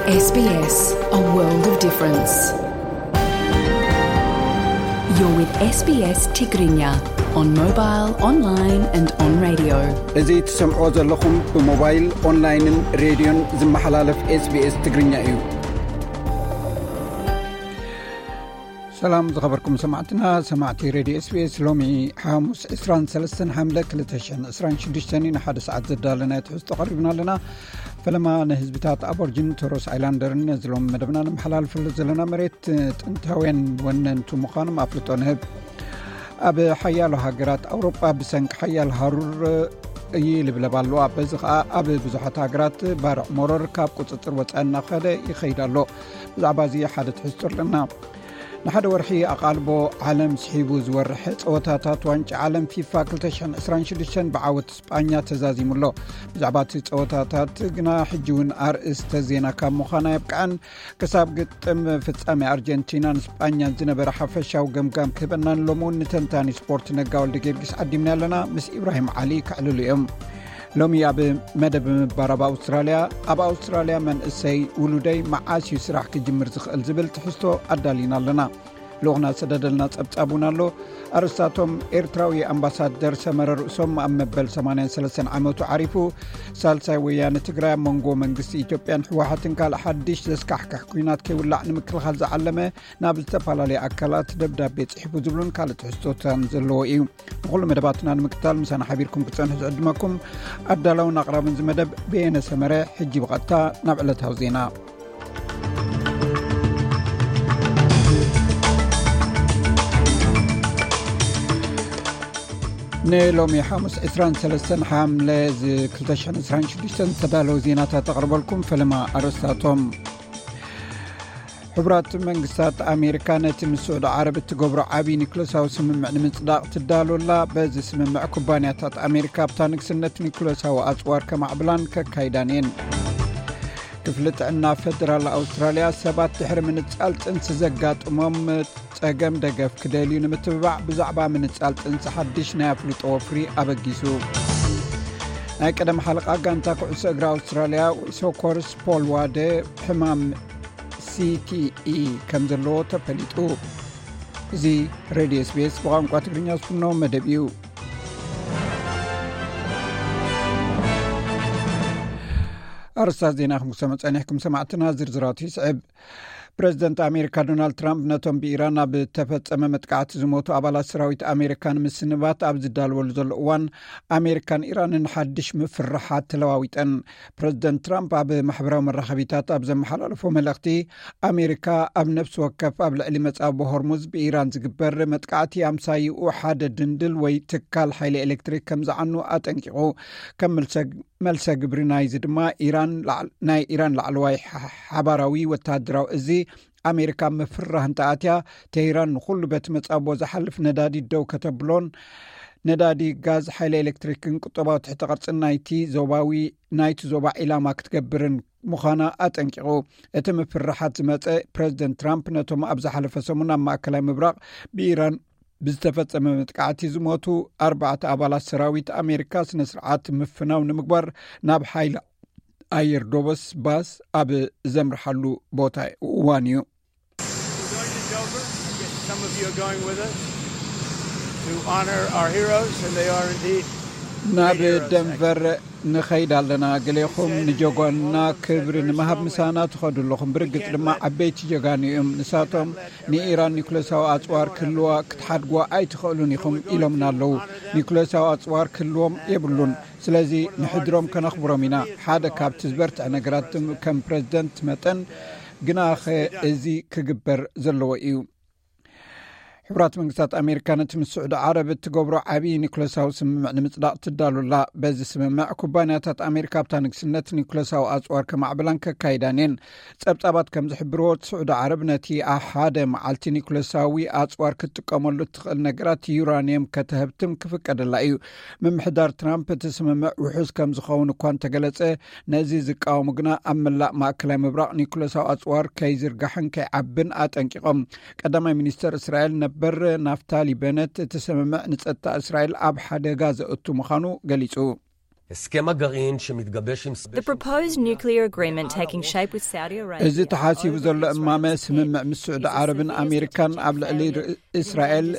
S B S, a world of difference. You're with S B S Tigrinya on mobile, online and on radio. እዚ ትሰምዕዎ ዘለኹም ብሞባይል፣ ኦንላይንን ሬድዮን ዝመሓላለፍ S B S ትግርኛ እዩ። ሰላም ዝኸበርኩም ሰማዕትና፣ ሰማዕቲ ሬድዮ S B S፣ ሎሚ ሓሙስ ዕስራን ሰለስተን ሓምለ ክልተ ሽሕን ዕስራን ሽዱሽተን እዩ። ንሓደ ሰዓት ዘዳለናዮ ትሕዝቶ ቀሪብና ኣለና። ፈለማ ንህዝብታት ኣቦርጅን ቶረስ ኣይላንደርን ነዚ ሎሚ መደብና ንመሓላልፈሉ ዘለና መሬት ጥንታውያን ወነንቱ ምዃኖም ኣፍልጦ ንህብ። ኣብ ሓያሎ ሃገራት ኣውሮጳ ብሰንኪ ሓያል ሃሩር ይልብለብ ኣሎ። በዚ ኸኣ ኣብ ብዙሓት ሃገራት ባርዕ መሮር ካብ ቁጽጽር ወጻኢ እናኸደ ይኸይድ ኣሎ። ብዛዕባ እዚ ሓደ ትሕዝቶ ኣለና። ንሓደ ወርሒ ኣቓልቦ ዓለም ስሒቡ ዝወርሕ ጸወታታት ዋንጫ ዓለም ፊፋ ክልተ ሽሕን ዕስራን ሽዱሽተን ብዓወት ስጳኛ ተዛዚሙ ኣሎ። ብዛዕባ እቲ ጸወታታት ግና ሕጂ እውን ኣርእስተ ዜና ካብ ምዃና የብቅዐን። ክሳብ ግጥም ፍጻሜ ኣርጀንቲናን ስጳኛን ዝነበረ ሓፈሻዊ ገምጋም ክህበናን ሎሚ እውን ንተንታኒ ስፖርት ነጋ ወልደ ጊዮርጊስ ዓዲምና ኣለና። ምስ ኢብራሂም ዓሊ ክዕልሉ እዮም። ሎሚ ኣብ መደብ ምባር ኣብ ኣውስትራልያ፣ ኣብ ኣውስትራልያ መንእሰይ ውሉደይ መዓስ እዩ ስራሕ ክጅምር ዝኽእል ዝብል ትሕዝቶ ኣዳሊና ኣለና። ልኡኽና ዝሰደደልና ጸብጻብ እውን ኣሎ። ኣርእስታቶም፣ ኤርትራዊ ኣምባሳደር ሰመረ ርእሶም ኣብ መበል ሰማንያን ሰለስተን ዓመቱ ዓሪፉ፣ ሳልሳይ ወያነ ትግራይ ኣብ መንጎ መንግስቲ ኢትዮጵያን ህወሓትን ካልእ ሓድሽ ዘስካሕክሕ ኲናት ከይውላዕ ንምክልኻል ዝዓለመ ናብ ዝተፈላለዩ ኣካላት ደብዳቤ ጽሒፉ ዝብሉን ካልእ ትሕዝቶታን ዘለዎ እዩ። ንኹሉ መደባትና ንምክታል ምሳና ሓቢርኩም ክትጸንሑ ዝዕድመኩም ኣዳላውን ኣቕራብን እዚ መደብ በየነ ሰመረ። ሕጂ ብቐጥታ ናብ ዕለታዊ ዜና። ንሎሚ ሓሙስ ዕስራን ሰለስተን ሓምለ ዚ ክልተ ሽሕን ዕስራን ሽዱሽተን ዝተዳለወ ዜናታት ኣቕርበልኩም። ፈለማ ኣርእስታቶም። ሕቡራት መንግስታት ኣሜሪካ ነቲ ምስ ስዑዲ ዓረብ እትገብሮ ዓብዪ ኒክለሳዊ ስምምዕ ንምጽዳቕ ትዳሎ ኣላ። በዚ ስምምዕ ኩባንያታት ኣሜሪካ ኣብታ ንግስነት ኒክለሳዊ ኣጽዋር ከማዕብላን ከካይዳን እየን። ክፍሊ ጥዕና ፈደራል ኣውስትራልያ ሰባት ድሕሪ ምንጻል ጥንሲ ዘጋጥሞም ጸገም ደገፍ ክደልዩ ንምትብባዕ ብዛዕባ ምንጻል ጥንሲ ሓድሽ ናይ ኣፍልጦ ወፍሪ ኣበጊሱ። ናይ ቀደም ሓለቓ ጋንታ ኩዕሶ እግሪ ኣውስትራልያ ሶኮርስ ፖል ዋደ ሕማም C T E ከም ዘለዎ ተፈሊጡ። እዚ ሬድዮ S B S ብቋንቋ ትግርኛ ዝፍኖ መደብ እዩ። ኣርስታት ዜና ክንሰምዕ ጸኒሕኩም ሰማዕትና፣ ዝርዝራቱ ይስዕብ። ፕረዚደንት ኣሜሪካ ዶናልድ ትራምፕ ነቶም ብኢራን ኣብ ተፈጸመ መጥቃዕቲ ዝሞቱ ኣባላት ሰራዊት ኣሜሪካ ንምስንባት ኣብ ዝዳለወሉ ዘሎ እዋን፣ ኣሜሪካን ኢራንን ሓድሽ ምፍርሓት ተለዋዊጠን። ፕረዚደንት ትራምፕ ኣብ ማሕበራዊ መራኸቢታት ኣብ ዘመሓላለፎ መልእኽቲ፣ ኣሜሪካ ኣብ ነፍሲ ወከፍ ኣብ ልዕሊ መጻብቦ ሆርሙዝ ብኢራን ዝግበር መጥቃዕቲ ኣምሳይኡ ሓደ ድንድል ወይ ትካል ሓይሊ ኤሌክትሪክ ከም ዝዓኑ ኣጠንቂቑ። ከም መልሰ መልሰ ግብሪ ናይዚ ድማ ኢራን ላዕ-፣ ናይ ኢራን ላዕለዋይ ሓ-፣ ሓባራዊ ወተሃደራዊ እዚ ኣሜሪካ ምፍርራህ እንተኣትያ፣ ቴህራን ንኹሉ በቲ መጻብቦ ዝሓልፍ ነዳዲ ደው ከተብሎን ነዳዲ፣ ጋዝ፣ ሓይሊ ኤሌክትሪክን ቁጠባዊ ትሕተ ቅርጽን ናይቲ ዞባዊ፣ ናይቲ ዞባ ዒላማ ክትገብርን ምዃና ኣጠንቂቑ። እቲ ምፍርራሓት ዝመጸ ፕረዚደንት ትራምፕ ነቶም ኣብ ዝሓለፈ ሰሙን ኣብ ማእከላይ ምብራቕ ብኢራን ብዝተፈጸመ መጥቃዕቲ ዝሞቱ ኣርባዕተ ኣባላት ሰራዊት ኣሜሪካ ስነ ስርዓት ምፍናው ንምግባር ናብ ሓይሊ ኣየር ዶበስ ባስ ኣብ ዘምርሓሉ ቦታ እዋን እዩ። We're going to Dover. Some of you are going with us to honor our heroes, and they are indeed ናብ great heroes. ደንቨር ንኸይድ ኣለና። ገሌኹም ንጀጓንና ክብሪ ንምሃብ ምሳና ትኸዱ ኣለኹም። ብርግጽ ድማ ዓበይቲ ጀጋኑ እዮም። ንሳቶም ንኢራን ኒኩለሳዊ ኣጽዋር ክህልዋ ክትሓድግዋ ኣይትኽእሉን ኢኹም ኢሎምና ኣለዉ። ኒኩለሳዊ ኣጽዋር ክህልዎም የብሉን። ስለዚ ንሕድሮም ከነኽብሮም ኢና። ሓደ ካብቲ ዝበርትዐ ነገራት ከም ፕረዚደንት መጠን ግናኸ እዚ ክግበር ዘለዎ እዩ። ሕቡራት መንግስታት ኣሜሪካ ነቲ ምስ ስዑዲ ዓረብ እትገብሮ ዓብዪ ኒኩለሳዊ ስምምዕ ንምጽዳቕ ትዳሉላ። በዚ ስምምዕ ኩባንያታት ኣሜሪካ ኣብታ ንግስነት ኒኩለሳዊ ኣጽዋር ከማዕብላን ከካይዳን እየን። ጸብጻባት ከም ዝሕብርዎ፣ ስዑዲ ዓረብ ነቲ ኣብ ሓደ መዓልቲ ኒኩለሳዊ ኣጽዋር ክትጥቀመሉ እትኽእል ነገራት ዩራንየም ከተህብትም ክፍቀደላ እዩ። ምምሕዳር ትራምፕ እቲ ስምምዕ ውሑስ ከም ዝኸውን እኳ እንተገለጸ፣ ነዚ ዝቃወሙ ግና ኣብ መላእ ማእከላይ ምብራቕ ኒኩለሳዊ ኣጽዋር ከይዝርጋሕን ከይዓብን ኣጠንቂቖም። ቀዳማይ ሚኒስተር እስራኤል ነበር ናፍታሊ በነት እቲ ስምምዕ ንጸጥታ እስራኤል ኣብ ሓደጋ ዘእቱ ምዃኑ ገሊጹ። הסכם הגרעין שמתגבש עם The proposed nuclear agreement taking shape with Saudi Arabia. እዚ ተሓሲቡ ዘሎ እማመ ስምምዕ ምስ ስዑዲ ዓረብን ኣሜሪካን ኣብ ልዕሊ እስራኤል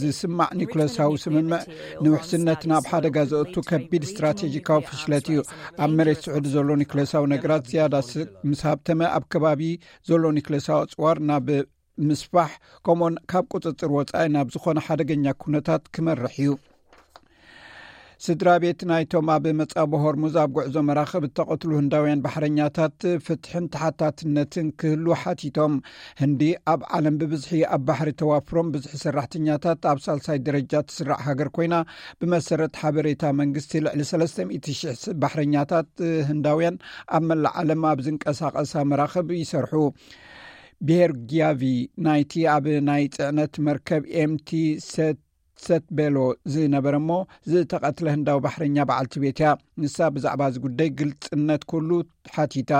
ዝስማዕ ኒኩለሳዊ ስምምዕ ንውሕስነት ናብ ሓደጋ ዘእቱ ከቢድ ስትራቴጂካዊ ፍሽለት እዩ። ኣብ መሬት ስዑዲ ዘሎ ኒኩለሳዊ ነገራት ዝያዳ ምስ ሃብተመ ኣብ ከባቢ ዘሎ ኒኩለሳዊ ኣፅዋር ናብ ምስፋሕ፣ ከምኡን ካብ ቁፅፅር ወፃኢ ናብ ዝኾነ ሓደገኛ ኩነታት ክመርሕ እዩ። ስድራ ቤት ናይቶም ኣብ መጻቦ ሆርሙዝ ኣብ ጉዕዞ መራኽብ እተቐትሉ ህንዳውያን ባሕረኛታት ፍትሕን ተሓታትነትን ክህሉ ሓቲቶም። ህንዲ ኣብ ዓለም ብብዝሒ ኣብ ባሕሪ ተዋፍሮም ብዝሒ ሰራሕተኛታት ኣብ ሳልሳይ ደረጃ ትስራዕ ሃገር ኮይና፣ ብመሰረት ሓበሬታ መንግስቲ ልዕሊ ሰለስተ ሚእቲ ሽሕ ባሕረኛታት ህንዳውያን ኣብ መላእ ዓለም ኣብ ዝንቀሳቐሳ መራኽብ ይሰርሑ። ብሄር ጊያቪ ናይቲ ኣብ ናይ ጽዕነት መርከብ ኤምቲ ሰት ሰት ቤሎ ዝነበረ እሞ ዝተቐትለ ህንዳዊ ባሕረኛ በዓልቲ ቤት እያ። ንሳ ብዛዕባ እዚ ጉዳይ ግልጽነት ኩሉ ሓቲታ።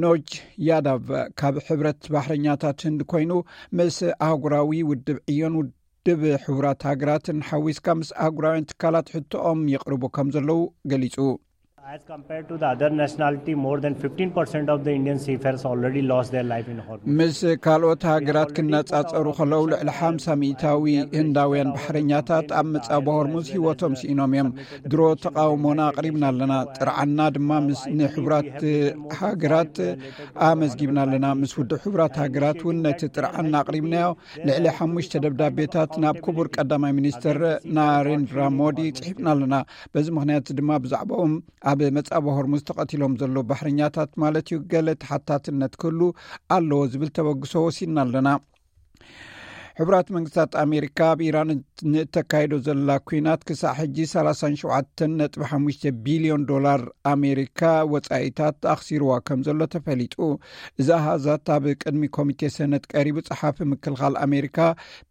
ኖጅ ያዳቭ ካብ ሕብረት ባሕረኛታት ህንድ ኮይኑ ምስ ኣህጉራዊ ውድብ ዕዮን ውድብ ሕቡራት ሃገራትን ሓዊስካ ምስ ኣህጉራውያን ትካላት ሕቶኦም ይቕርቡ ከም ዘለዉ ገሊጹ። As compared to the other nationality, more than fifteen percent of the Indian seafarers already lost their life in Hormuz. ምስ ካልኦት ሃገራት ክነጻጸሩ ከለዉ ልዕሊ ሓምሳ ሚእታዊ ህንዳውያን ባሕረኛታት ኣብ መጻቦ ሆርሙዝ ህይወቶም ስኢኖም እዮም። ድሮ ተቃውሞና ኣቕሪብና ኣለና። ጥርዓና ድማ ምስ ንሕቡራት ሃገራት ኣመዝጊብና ኣለና። ምስ ውድብ ሕቡራት ሃገራት እውን ነቲ ጥርዓና ኣቕሪብናዮ። ልዕሊ ሓሙሽተ ደብዳቤታት ናብ ክቡር ቀዳማይ ሚኒስትር ናሬንድራ ሞዲ ጽሒፍና ኣለና። በዚ ምኽንያት ድማ ብዛዕባኦም ኣብ መጻቦ ሆርሙዝ ተቐቲሎም ዘለዉ ባሕረኛታት ማለት እዩ ገለ ተሓታትነት ክህሉ ኣለዎ ዝብል ተበግሶ ወሲድና ኣለና። ሕቡራት መንግስታት ኣሜሪካ ኣብ ኢራን ንእተካይዶ ዘላ ኩናት ክሳዕ ሕጂ ሰላሳን ሸውዓተን ነጥቢ ሓሙሽተ ቢልዮን ዶላር ኣሜሪካ ወጻኢታት ኣኽሲርዋ ከም ዘሎ ተፈሊጡ። እዚ ኣሃዛት ኣብ ቅድሚ ኮሚቴ ሰነት ቀሪቡ ጸሓፊ ምክልኻል ኣሜሪካ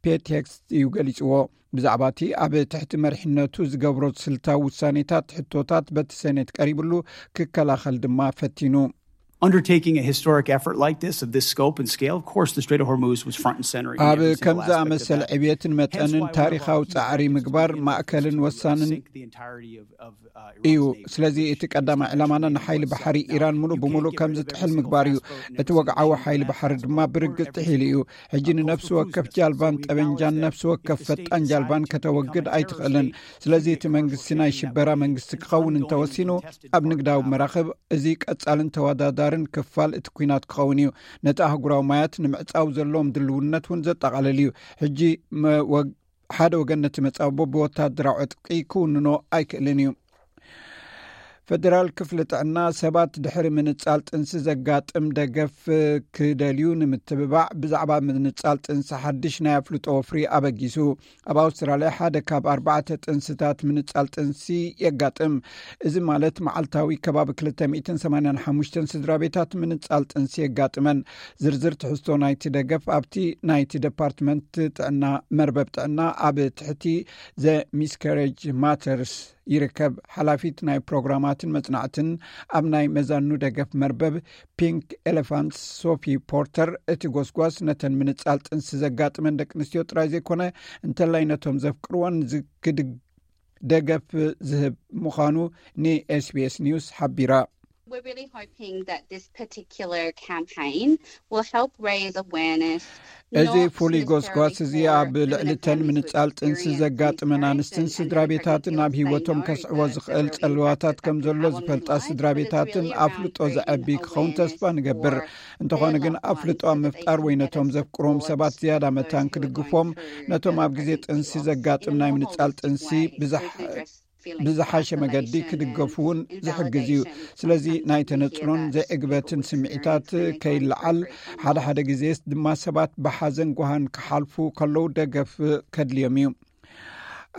ፔት ሄግስት እዩ ገሊጽዎ። ብዛዕባ እቲ ኣብ ትሕቲ መሪሕነቱ ዝገብሮ ስልታዊ ውሳኔታት ሕቶታት በቲ ሰኔት ቀሪብሉ ክከላኸል ድማ ፈቲኑ። Undertaking a historic effort like this, of this scope and scale, of course, the Strait of Hormuz was front and center in ኣብ every single ከምዚ aspect of ኣመሰለ that. ዕብየትን መጠንን ታሪኻዊ ጻዕሪ ምግባር ማእከልን ወሳንን Sink the entirety of, of uh, እዩ። Iran's navy. ስለዚ እቲ ቀዳማይ ዕላማና ንሓይሊ ባሕሪ ኢራን ሙሉእ ብምሉእ ከም ዝጥሕል ምግባር እዩ። እቲ ወግዓዊ ሓይሊ ባሕሪ ድማ ብርግጽ ጥሒሉ እዩ። ሕጂ ንነፍሲ ወከፍ ጃልባን ጠበንጃን ነፍሲ ወከፍ ፈጣን ጃልባን ከተወግድ ኣይትኽእልን። ስለዚ እቲ መንግስቲ ናይ ሽበራ መንግስቲ ክኸውን እንተወሲኑ ኣብ ንግዳዊ መራኽብ እዚ ቀጻልን ተወዳዳርን ክፋል እቲ ኩናት ክኸውን እዩ። ነቲ ኣህጉራዊ ማያት ንምዕጻው ዘለዎም ድልውነት እውን ዘጠቓልል እዩ። ሕጂ መ- ወግ- ሓደ ወገን ነቲ መጻቦ ብወታደራዊ ዕጥቂ ክውንኖ ኣይክእልን እዩ። ፈደራል ክፍሊ ጥዕና ሰባት ድሕሪ ምንጻል ጥንሲ ዘጋጥም ደገፍ ክደልዩ ንምትብባዕ ብዛዕባ ምንጻል ጥንሲ ሓድሽ ናይ ኣፍልጦ ወፍሪ ኣበጊሱ። ኣብ ኣውስትራልያ ሓደ ካብ ኣርባዕተ ጥንስታት ምንጻል ጥንሲ የጋጥም። እዚ ማለት መዓልታዊ ከባቢ ክልተ ሚእትን ሰማንያን ሓሙሽተን ስድራ ቤታት ምንጻል ጥንሲ የጋጥመን። ዝርዝር ትሕዝቶ ናይቲ ደገፍ ኣብቲ ናይቲ ደፓርትመንት ጥዕና መርበብ ጥዕና ኣብ ትሕቲ ዘ ሚስካሬጅ ማተርስ ይርከብ። ሓላፊት ናይ ፕሮግራማትን መጽናዕትን ኣብ ናይ መዛኑ ደገፍ መርበብ ፒንክ ኤሌፋንትስ ሶፊ ፖርተር፣ እቲ ጎስጓስ ነተን ምንጻል ጥንሲ ዘጋጥመን ደቂ ኣንስትዮ ጥራይ ዘይኮነ እንተላይ ነቶም ዘፍቅርወን ዝክድግ ደገፍ ዝህብ ምዃኑ ን SBS ኒውስ ሓቢራ። We're really hoping that this particular campaign will help raise awareness. እዚ ፍሉይ ጎስጓስ እዚ ኣብ ልዕሊ እተን ምንጻል ጥንሲ ዘጋጥመን ኣንስትን ስድራ ቤታትን ኣብ ህይወቶም ከስዕቦ ዝኽእል ጸልዋታት ከም ዘሎ ዝፈልጣ ስድራ ቤታትን ኣፍልጦ ዘዐቢ ክኸውን ተስፋ ንገብር። እንተኾነ ግን ኣፍልጦ ኣብ ምፍጣር ወይ ነቶም ዘፍቅሮም ሰባት ዝያዳ መታን ክድግፎም፣ ነቶም ኣብ ግዜ ጥንሲ ዘጋጥም ናይ ምንጻል ጥንሲ ብዝሓ- ብዝሓሸ መገዲ ክድገፉ እውን ዝሕግዝ እዩ። ስለዚ ናይ ተነጽሎን ዘይዕግበትን ስምዒታት ከይለዓል፣ ሓደ ሓደ ግዜ ድማ ሰባት ብሓዘን ጓሃን ክሓልፉ ከለዉ ደገፍ ከድልዮም እዩ።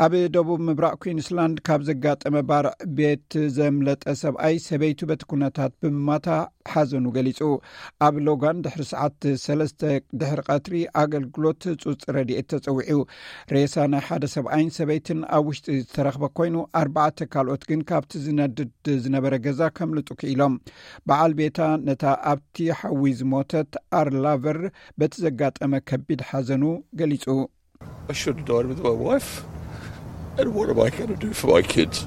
ኣብ ደቡብ ምብራቕ ኩንስላንድ ካብ ዘጋጠመ ባርዕ ቤት ዘምለጠ ሰብኣይ ሰበይቱ በቲ ኩነታት ብምማታ ሓዘኑ ገሊጹ። ኣብ ሎጋን ድሕሪ ሰዓት ሰለስተ ድሕሪ ቀትሪ ኣገልግሎት ህጹጽ ረድኤት ተጸዊዑ። ሬሳ ናይ ሓደ ሰብኣይን ሰበይትን ኣብ ውሽጢ ዝተረኽበ ኮይኑ፣ ኣርባዕተ ካልኦት ግን ካብቲ ዝነድድ ዝነበረ ገዛ ከምልጡ ክኢሎም። በዓል ቤታ ነታ ኣብቲ ሓዊ ዝሞተት ኣርላቨር በቲ ዘጋጠመ ከቢድ ሓዘኑ ገሊጹ። I should have died with my wife. And what am I going to do for my kids?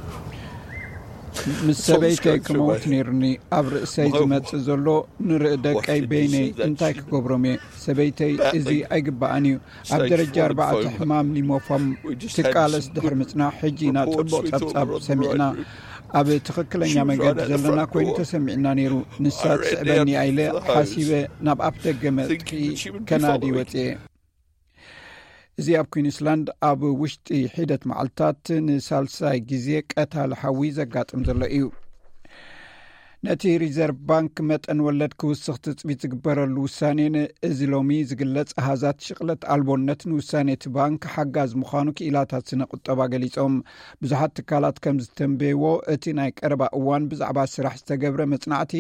ምስ ሰበይተይ ክመውት ነይሩኒ። ኣብ ርእሰይ ዝመጽእ ዘሎ ንርኢ ደቀይ በይነይ እንታይ ክገብሮም እየ? ሰበይተይ እዚ ኣይግባኣን እዩ። ኣብ ደረጃ ኣርባዕተ ሕማም ሊሞፎም ትቃለስ ድሕሪ ምጽናሕ ሕጂ ኢና ጽቡቕ ጸብጻብ ሰሚዕና። ኣብ ትኽክለኛ መገዲ ዘለና ኮይኑ ተሰሚዕና ነይሩ። ንሳ ትስዕበኒ ኢለ ሓሲበ ናብ ኣፍ ደገ መጥቂ ከናዲ ወጽኤ። እዚ ኣብ ኩዊንስላንድ ኣብ ውሽጢ ሒደት መዓልታት ንሳልሳይ ግዜ ቀታሊ ሓዊ ዘጋጥም ዘሎ እዩ። ነቲ ሪዘርቭ ባንክ መጠን ወለድ ክውስኽ ትጽቢት ዝግበረሉ ውሳኔን እዚ ሎሚ ዝግለጽ ኣሃዛት ሽቕለት ኣልቦነት ንውሳኔ እቲ ባንክ ሓጋዝ ምዃኑ ክኢላታት ስነ ቁጠባ ገሊጾም። ብዙሓት ትካላት ከም ዝተንበይዎ እቲ ናይ ቀረባ እዋን ብዛዕባ ስራሕ ዝተገብረ መጽናዕቲ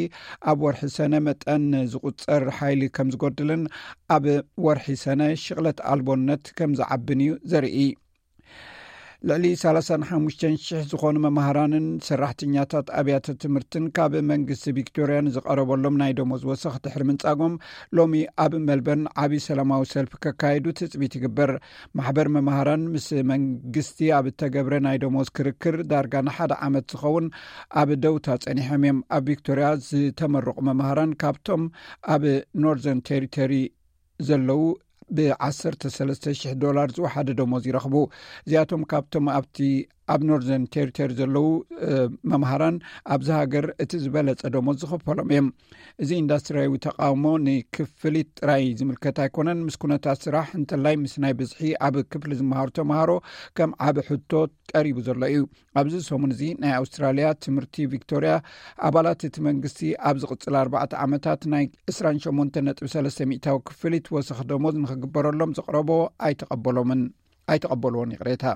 ኣብ ወርሒ ሰነ መጠን ዝቁጸር ሓይሊ ከም ዝጎድልን ኣብ ወርሒ ሰነ ሽቕለት ኣልቦነት ከም ዝዓብን እዩ ዘርኢ። ልዕሊ ሰላሳን ሓሙሽተን ሽሕ ዝኾኑ መማህራንን ሰራሕተኛታት ኣብያተ ትምህርትን ካብ መንግስቲ ቪክቶርያ ንዝቐረበሎም ናይ ደሞዝ ወሰኽ ድሕሪ ምንጻጎም ሎሚ ኣብ መልበርን ዓቢ ሰላማዊ ሰልፊ ከካይዱ ትጽቢት ይግበር። ማሕበር መማህራን ምስ መንግስቲ ኣብ እተገብረ ናይ ደሞዝ ክርክር ዳርጋ ንሓደ ዓመት ዝኸውን ኣብ ደውታ ጸኒሖም እዮም። ኣብ ቪክቶርያ ዝተመረቑ መማህራን ካብቶም ኣብ ኖርዘርን ቴሪቶሪ ዘለዉ ብ ዓሰርተ ሰለስተ ሽሕ ዶላር ዝወሓደ ደሞዝ ይረኽቡ። እዚኣቶም ካብቶም ኣብቲ ኣብ ኖርዘርን ቴሪቶሪ ዘለዉ መምሃራን ኣብዚ ሃገር እቲ ዝበለጸ ደሞዝ ዝኽፈሎም እዮም። እዚ ኢንዳስትሪያዊ ተቃውሞ ንክፍሊት ጥራይ ዝምልከት ኣይኮነን። ምስ ኩነታት ስራሕ እንተላይ ምስ ናይ ብዝሒ ኣብ ክፍሊ ዝመሃሩ ተምሃሮ ከም ዓቢ ሕቶ ቀሪቡ ዘሎ እዩ። ኣብዚ ሰሙን እዚ ናይ ኣውስትራልያ ትምህርቲ ቪክቶርያ ኣባላት እቲ መንግስቲ ኣብ ዝቕጽል ኣርባዕተ ዓመታት ናይ ዕስራን ሸሞንተን ነጥቢ ሰለስተ ሚእታዊ ክፍሊት ወሰኽ ደሞዝ ንክግበረሎም ዘቕረቦ ኣይተቐበሎምን ኣይተቐበልዎን ይቕሬታ።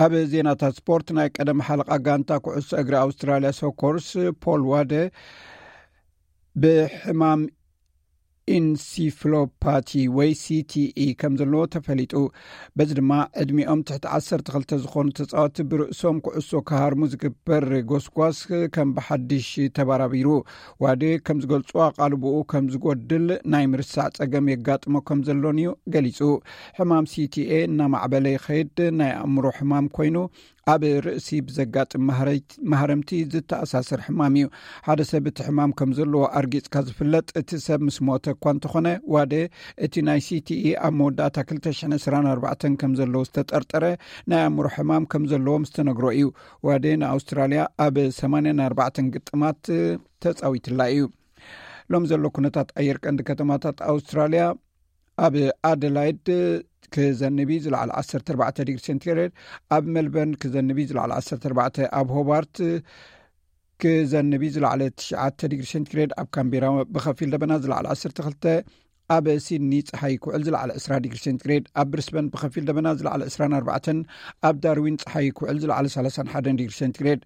ኣብ ዜናታት ስፖርት፣ ናይ ቀደም ሓለቓ ጋንታ ኩዕሶ እግሪ ኣውስትራልያ ሶኮርስ ፖል ዋደ ብሕማም ኢንሲፍሎፓቲ ወይ ሲቲኢ ከም ዘለዎ ተፈሊጡ። በዚ ድማ ዕድሚኦም ትሕቲ ዓሰርተ ክልተ ዝኾኑ ተጻወቲ ብርእሶም ኩዕሶ ክሃርሙ ዝግበር ጎስጓስ ከም ብሓድሽ ተባራቢሩ። ዋዴ ከም ዝገልጹ ኣቓልቦኡ ከም ዝጎድል ናይ ምርሳዕ ጸገም የጋጥሞ ከም ዘሎን እዩ ገሊጹ። ሕማም ሲቲኤ እናማዕበለ ይኸይድ ናይ ኣእምሮ ሕማም ኮይኑ ኣብ ርእሲ ብዘጋጥም ማህረምቲ ዝተኣሳሰር ሕማም እዩ። ሓደ ሰብ እቲ ሕማም ከም ዘለዎ ኣርጊጽካ ዝፍለጥ እቲ ሰብ ምስ ሞተ እኳ እንተኾነ፣ ዋዴ እቲ ናይ ሲቲኢ ኣብ መወዳእታ ክልተ ሽሕን ዕስራን ኣርባዕተን ከም ዘለዎ ዝተጠርጠረ ናይ ኣእምሮ ሕማም ከም ዘለዎ ምስ ተነግሮ እዩ። ዋዴ ንኣውስትራልያ ኣብ ሰማንያን ኣርባዕተን ግጥማት ተጻዊትላ እዩ። ሎም ዘሎ ኩነታት ኣየር ቀንዲ ከተማታት ኣውስትራልያ ኣብ ኣደላይድ ክዘንብ እዩ ዝለዓለ ዓሰርተ ኣርባዕተ ዲግሪ ሴንቲግሬድ፣ ኣብ ሜልበርን ክዘንብ እዩ ዝለዓለ ዓሰርተ ኣርባዕተ፣ ኣብ ሆባርት ክዘንብ እዩ ዝለዓለ ትሽዓተ ዲግሪ ሴንቲግሬድ፣ ኣብ ካምቤራ ብኸፊል ደበና ዝለዓለ ዓሰርተ ክልተ፣ ኣብ ሲድኒ ጸሓይ ክውዕል ዝለዓለ ዕስራ ዲግሪ ሴንቲግሬድ፣ ኣብ ብሪስበን ብኸፊል ደበና ዝለዓለ ዕስራን ኣርባዕተን፣ ኣብ ዳርዊን ጸሓይ ክውዕል ዝለዓለ ሰላሳን ሓደን ዲግሪ ሴንቲግሬድ።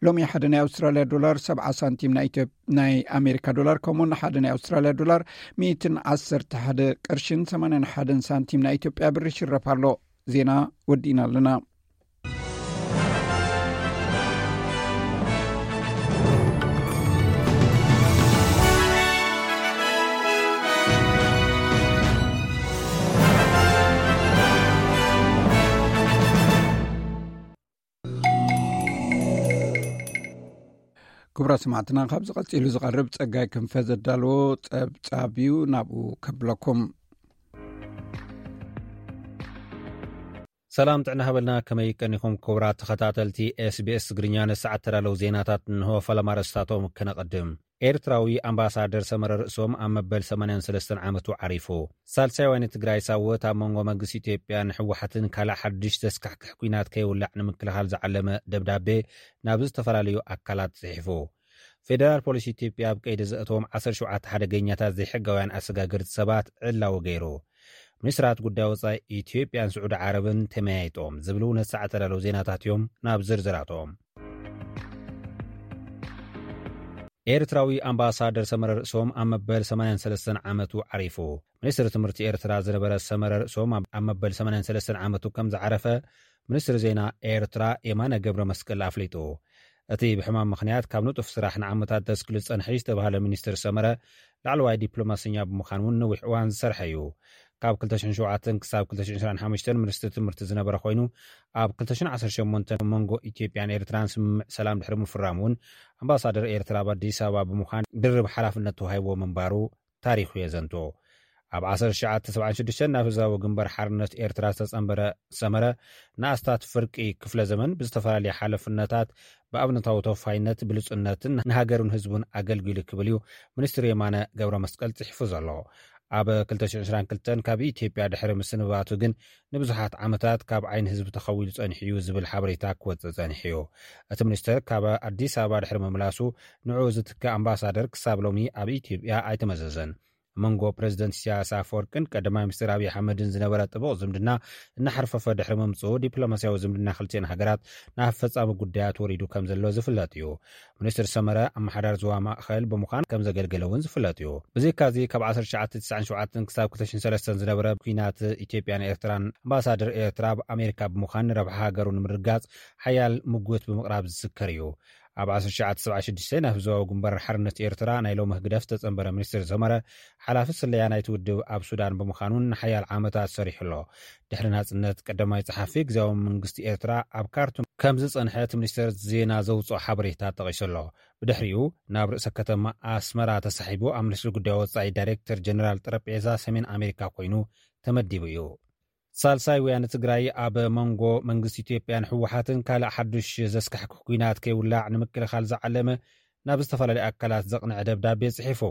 ሎሚ ሓደ ናይ ኣውስትራልያ ዶላር ሰብዓ ሳንቲም ናይ ኢትዮ-፣ ናይ ኣሜሪካ ዶላር ከምኡውን ሓደ ናይ ኣውስትራልያ ዶላር ሚእትን ዓሰርተ ሓደ ቅርሽን ሰማንያን ሓደን ሳንቲም ናይ ኢትዮጵያ ብር ይሽረፍ ኣሎ። ዜና ወዲእና ኣለና። ክቡራት ሰማዕትና፣ ካብዚ ቀጺሉ ዝቐርብ ጸጋይ ክንፈ ዘዳለዎ ጸብጻብ እዩ፣ ናብኡ ከብለኩም። ሰላም ጥዕና ሃበልና፣ ከመይ ቀኒኹም ክቡራት ተኸታተልቲ ኤስቢኤስ ትግርኛ? ንሰዓት ተዳለዉ ዜናታት እንሆ፣ ፈለማ ኣርእስታቶም ክነቐድም። ኤርትራዊ ኣምባሳደር ሰመረ ርእሶም ኣብ መበል ሰማንያን ሰለስተን ዓመቱ ዓሪፉ። ሳልሳይ ዋኒ ትግራይ ሳወት ኣብ መንጎ መንግስቲ ኢትዮጵያን ህወሓትን ካልእ ሓድሽ ዘስካሕክሕ ኲናት ከይውላዕ ንምክልኻል ዝዓለመ ደብዳቤ ናብ ዝተፈላለዩ ኣካላት ጽሒፉ። ፌደራል ፖሊስ ኢትዮጵያ ኣብ ቀይዲ ዘእተዎም ዓሰርተ ሸውዓተ ሓደገኛታት ዘይሕጋውያን ኣሰጋገርቲ ሰባት ዕላዊ ገይሩ። ሚኒስትራት ጉዳይ ወጻኢ ኢትዮጵያን ስዑዲ ዓረብን ተመያይጦም ዝብሉ ነቲ ሰዓት ተዳለዉ ዜናታት እዮም። ናብ ዝርዝራቶም። ኤርትራዊ ኣምባሳደር ሰመረ ርእሶም ኣብ መበል ሰማንያን ሰለስተን ዓመቱ ዓሪፉ። ሚኒስትሪ ትምህርቲ ኤርትራ ዝነበረ ሰመረ ርእሶም ኣብ፣ ኣብ መበል ሰማንያን ሰለስተን ዓመቱ ከም ዝዓረፈ ሚኒስትሪ ዜና ኤርትራ የማነ ገብረ መስቀል ኣፍሊጡ። እቲ ብሕማም ምኽንያት ካብ ንጡፍ ስራሕ ንዓመታት ዘስክሉ ዝጸንሐ ዝተባህለ ሚኒስትር ሰመረ፣ ላዕለዋይ ዲፕሎማሰኛ ብምዃን እውን ነዊሕ እዋን ዝሰርሐ እዩ። ካብ ክልተ ሽሕን ሸውዓተን ክሳብ ክልተ ሽሕን ዕስራን ሓሙሽተን ሚኒስትሪ ትምህርቲ ዝነበረ ኮይኑ፣ ኣብ ክልተ ሽሕን ዓሰርተ ሸሞንተን መንጎ ኢትዮጵያን ኤርትራን ስምምዕ ሰላም ድሕሪ ምፍራሙ እውን ኣምባሳደር ኤርትራ ኣብ ኣዲስ ኣበባ ብምዃን ድርብ ሓላፍነት ተዋሂብዎ ምንባሩ ታሪኹ የዘንቱ። ኣብ ዓሰርተ ትሽዓተ ሰብዓን ሽዱሽተን ናብ ህዝባዊ ግንባር ሓርነት ኤርትራ ዝተጸንበረ ሰመረ፣ ንኣስታት ፍርቂ ክፍለ ዘመን ብዝተፈላለየ ሓለፍነታት ብኣብነታዊ ተወፋይነት ብሉጽነትን ንሃገሩን ህዝቡን ኣገልጊሉ ክብል እዩ ሚኒስትር የማነ ገብረ መስቀል ጽሒፉ ዘሎ። ኣብ ክልተ ሽሕን ዕስራን ክልተን ካብ ኢትዮጵያ ድሕሪ ምስንባቱ ግን ንብዙሓት ዓመታት ካብ ዓይኒ ህዝቢ ተኸዊሉ ጸኒሑ እዩ ዝብል ሓበሬታ ክወጽእ ጸኒሑ እዩ። እቲ ሚኒስትር ካብ ኣዲስ ኣበባ ድሕሪ ምምላሱ ንዕኡ ዝትክእ ኣምባሳደር ክሳብ ሎሚ ኣብ ኢትዮጵያ ኣይተመዘዘን። መንጎ ፕሬዚደንት ኢሳያስ ኣፈወርቅን ቀዳማይ ሚኒስትር ኣብይ ኣሕመድን ዝነበረ ጥቡቕ ዝምድና እናሓርፈፈ ድሕሪ ምምፅኡ፣ ዲፕሎማሲያዊ ዝምድና ክልቲኤን ሃገራት ናብ ፈጻሚ ጉዳያት ወሪዱ ከም ዘሎ ዝፍለጥ እዩ። ሚኒስትር ሰመረ ኣመሓዳሪ ዞባ ማእኸል ብምዃን ከም ዘገልገለ እውን ዝፍለጥ እዩ። ብዘይካዚ ካብ ዓሰርተ ትሽዓተ ተስዓን ሸውዓተን ክሳብ ክልተ ሽሕን ሰለስተን ዝነበረ ኲናት ኢትዮጵያን ኤርትራን ኣምባሳደር ኤርትራ ኣብ ኣሜሪካ ብምዃን ንረብሓ ሃገሩ ንምርጋጽ ሓያል ምጉት ብምቕራብ ዝዝከር እዩ። ኣብ ዓሰርተ ትሽዓተ ሰብዓ ሽዱሽተ ናብ ህዝባዊ ግንባር ሓርነት ኤርትራ ናይ ሎሚ ህግደፍ ዝተጸንበረ ሚኒስትር ሰመረ፣ ሓላፊ ስለያ ናይቲ ውድብ ኣብ ሱዳን ብምዃኑን ንሓያል ዓመታት ሰሪሑ ኣሎ። ድሕሪ ናጽነት ቀዳማይ ጸሓፊ ግዝያዊ መንግስቲ ኤርትራ ኣብ ካርቱም ከም ዝጸንሐ እቲ ሚኒስትር ዜና ዘውጽኦ ሓበሬታ ጠቒሱ ኣሎ። ብድሕሪኡ ናብ ርእሰ ከተማ ኣስመራ ተሳሒቡ ኣብ ሚኒስትሪ ጉዳይ ወጻኢ ዳይሬክተር ጀነራል ጠረጴዛ ሰሜን ኣሜሪካ ኮይኑ ተመዲቡ እዩ። ሳልሳይ ወያነ ትግራይ ኣብ መንጎ መንግስቲ ኢትዮጵያን ህወሓትን ካልእ ሓዱሽ ዘስካሕክሕ ኲናት ከይውላዕ ንምክልኻል ዝዓለመ ናብ ዝተፈላለዩ ኣካላት ዘቕንዐ ደብዳቤ ጽሒፉ።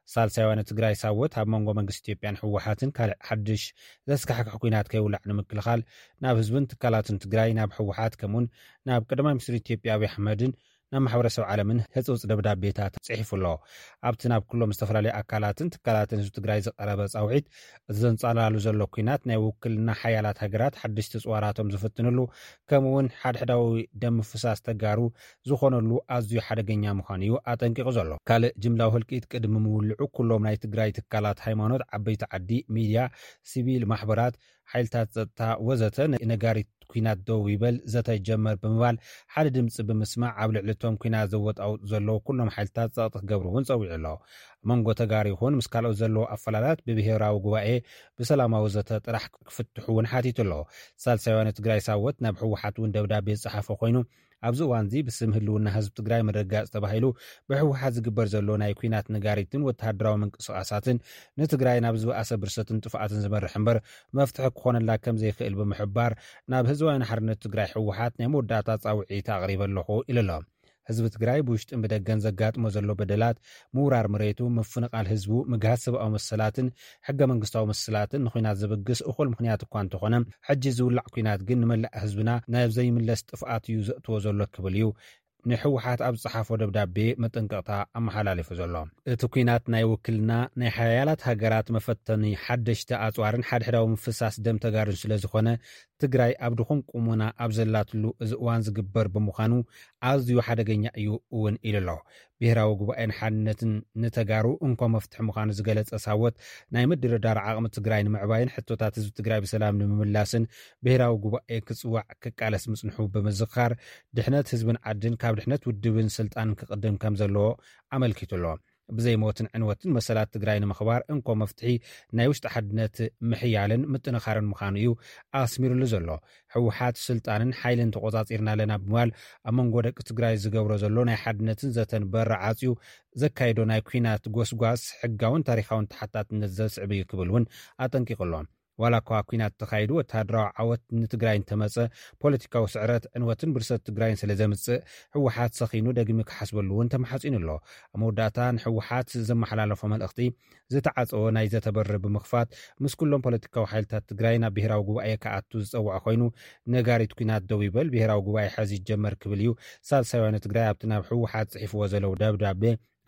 ሳልሳይ ወያነ ትግራይ ሳወት ኣብ መንጎ መንግስቲ ኢትዮጵያን ህወሓትን ካልእ ሓዱሽ ዘስካሕክሕ ኲናት ከይውላዕ ንምክልኻል ናብ ህዝብን ትካላትን ትግራይ፣ ናብ ህወሓት ከምኡን ናብ ቀዳማይ ሚኒስትር ኢትዮጵያ ኣብይ ኣሕመድን ናብ ማሕበረሰብ ዓለምን ህጹጽ ደብዳቤታት ጽሒፉ ኣሎ። ኣብቲ ናብ ኩሎም ዝተፈላለዩ ኣካላትን ትካላትን ህዝቢ ትግራይ ዝቐረበ ጻውዒት፣ እቲ ዘንጻላሉ ዘሎ ኲናት ናይ ውክልና ሓያላት ሃገራት ሓደሽቲ ጽዋራቶም ዝፍትንሉ፣ ከምኡውን ሓድሕዳዊ ደም ምፍሳስ ተጋሩ ዝኾነሉ ኣዝዩ ሓደገኛ ምዃኑ እዩ ኣጠንቂቑ ዘሎ። ካልእ ጅምላዊ ህልቂት ቅድሚ ምውልዑ ኩሎም ናይ ትግራይ ትካላት ሃይማኖት፣ ዓበይቲ ዓዲ፣ ሚድያ፣ ሲቪል ማሕበራት፣ ሓይልታት ጸጥታ ወዘተ ነጋሪት ኲናት ደው ይበል ዘተ ይጀመር ብምባል ሓደ ድምፂ ብምስማዕ ኣብ ልዕሊ እቶም ኲናት ዘወጣውጡ ዘለዉ ኩሎም ሓይልታት ጸቕጢ ክገብሩ እውን ጸዊዑ ኣሎ። ኣብ መንጎ ተጋሩ ይኹን ምስ ካልኦት ዘለዉ ኣፈላላት ብብሄራዊ ጉባኤ ብሰላማዊ ዘተ ጥራሕ ክፍትሑ እውን ሓቲቱ ኣሎ። ሳልሳይ ወያነ ትግራይ ሳወት ናብ ህወሓት እውን ደብዳቤ ዝጸሓፈ ኮይኑ፣ ኣብዚ እዋን እዚ ብስም ህልውና ህዝቢ ትግራይ ምርግጋጽ ተባሂሉ ብህወሓት ዝግበር ዘሎ ናይ ኲናት ነጋሪትን ወተሃደራዊ ምንቅስቓሳትን ንትግራይ ናብ ዝበኣሰ ብርሰትን ጥፍኣትን ዝመርሕ እምበር መፍትሒ ክኾነላ ከም ዘይክእል ብምሕባር፣ ናብ ህዝባዊ ሓርነት ትግራይ ህወሓት ናይ መወዳእታ ጻውዒት ኣቕሪበ ኣለኹ ኢሉ ኣሎ። ህዝቢ ትግራይ ብውሽጥን ብደገን ዘጋጥሞ ዘሎ በደላት፣ ምውራር መሬቱ፣ ምፍንቓል ህዝቡ፣ ምግሃስ ሰብኣዊ መሰላትን ሕገ መንግስታዊ መሰላትን ንኹናት ዘበግስ እኹል ምኽንያት እኳ እንተኾነ፣ ሕጂ ዝውላዕ ኩናት ግን ንመላእ ህዝብና ናብ ዘይምለስ ጥፍኣት እዩ ዘእትዎ ዘሎ ክብል እዩ ንህወሓት ኣብ ዝጸሓፎ ደብዳቤ መጠንቀቕታ ኣመሓላሊፉ ዘሎ። እቲ ኩናት ናይ ውክልና ናይ ሓያላት ሃገራት መፈተኒ ሓደሽቲ ኣጽዋርን ሓድሕዳዊ ምፍሳስ ደም ተጋሩን ስለ ዝኾነ፣ ትግራይ ኣብ ድኹም ቁመና ኣብ ዘላትሉ እዚ እዋን ዝግበር ብምዃኑ ኣዝዩ ሓደገኛ እዩ እውን ኢሉ ኣሎ። ብሄራዊ ጉባኤን ሓድነትን ንተጋሩ እንኮ መፍትሒ ምዃኑ ዝገለጸ ሳወት፣ ናይ ምድርዳር ዓቕሚ ትግራይ ንምዕባይን ሕቶታት ህዝቢ ትግራይ ብሰላም ንምምላስን ብሄራዊ ጉባኤ ክጽዋዕ ክቃለስ ምጽንሑ ብምዝኻር፣ ድሕነት ህዝብን ዓድን ካብ ድሕነት ውድብን ስልጣንን ክቕድም ከም ዘለዎ ኣመልኪቱ ኣሎ። ብዘይ ሞትን ዕንወትን መሰላት ትግራይ ንምኽባር እንኮ መፍትሒ ናይ ውሽጢ ሓድነት ምሕያልን ምጥንኻርን ምዃኑ እዩ ኣስሚሩሉ ዘሎ። ህወሓት ስልጣንን ሓይልን ተቖጻጺርና ኣለና ብምባል ኣብ መንጎ ደቂ ትግራይ ዝገብሮ ዘሎ ናይ ሓድነትን ዘተን በሪ ዓጽዩ ዘካይዶ ናይ ኲናት ጎስጓስ ሕጋውን ታሪኻውን ተሓታትነት ዘስዕብ እዩ ክብል እውን ኣጠንቂቑ ኣሎ። ዋላ እኳ ኲናት ተኻይዱ ወተሃደራዊ ዓወት ንትግራይ እንተመጸ፣ ፖለቲካዊ ስዕረት፣ ዕንወትን ብርሰት ትግራይን ስለ ዘምጽእ፣ ህወሓት ሰኺኑ ደጊሙ ክሓስበሉ እውን ተማሓጺኑ ኣሎ። ኣብ መወዳእታ ንህወሓት ዘመሓላለፎ መልእኽቲ ዝተዓጸወ ናይ ዘተ በሪ ብምኽፋት፣ ምስ ኩሎም ፖለቲካዊ ሓይልታት ትግራይ ናብ ብሄራዊ ጉባኤ ክኣቱ ዝጸውዐ ኮይኑ፣ ነጋሪት ኲናት ደው ይበል፣ ብሄራዊ ጉባኤ ሕዚ ይጀመር ክብል እዩ ሳልሳይ ወያነ ትግራይ ኣብቲ ናብ ህወሓት ጽሒፍዎ ዘለዉ ደብዳቤ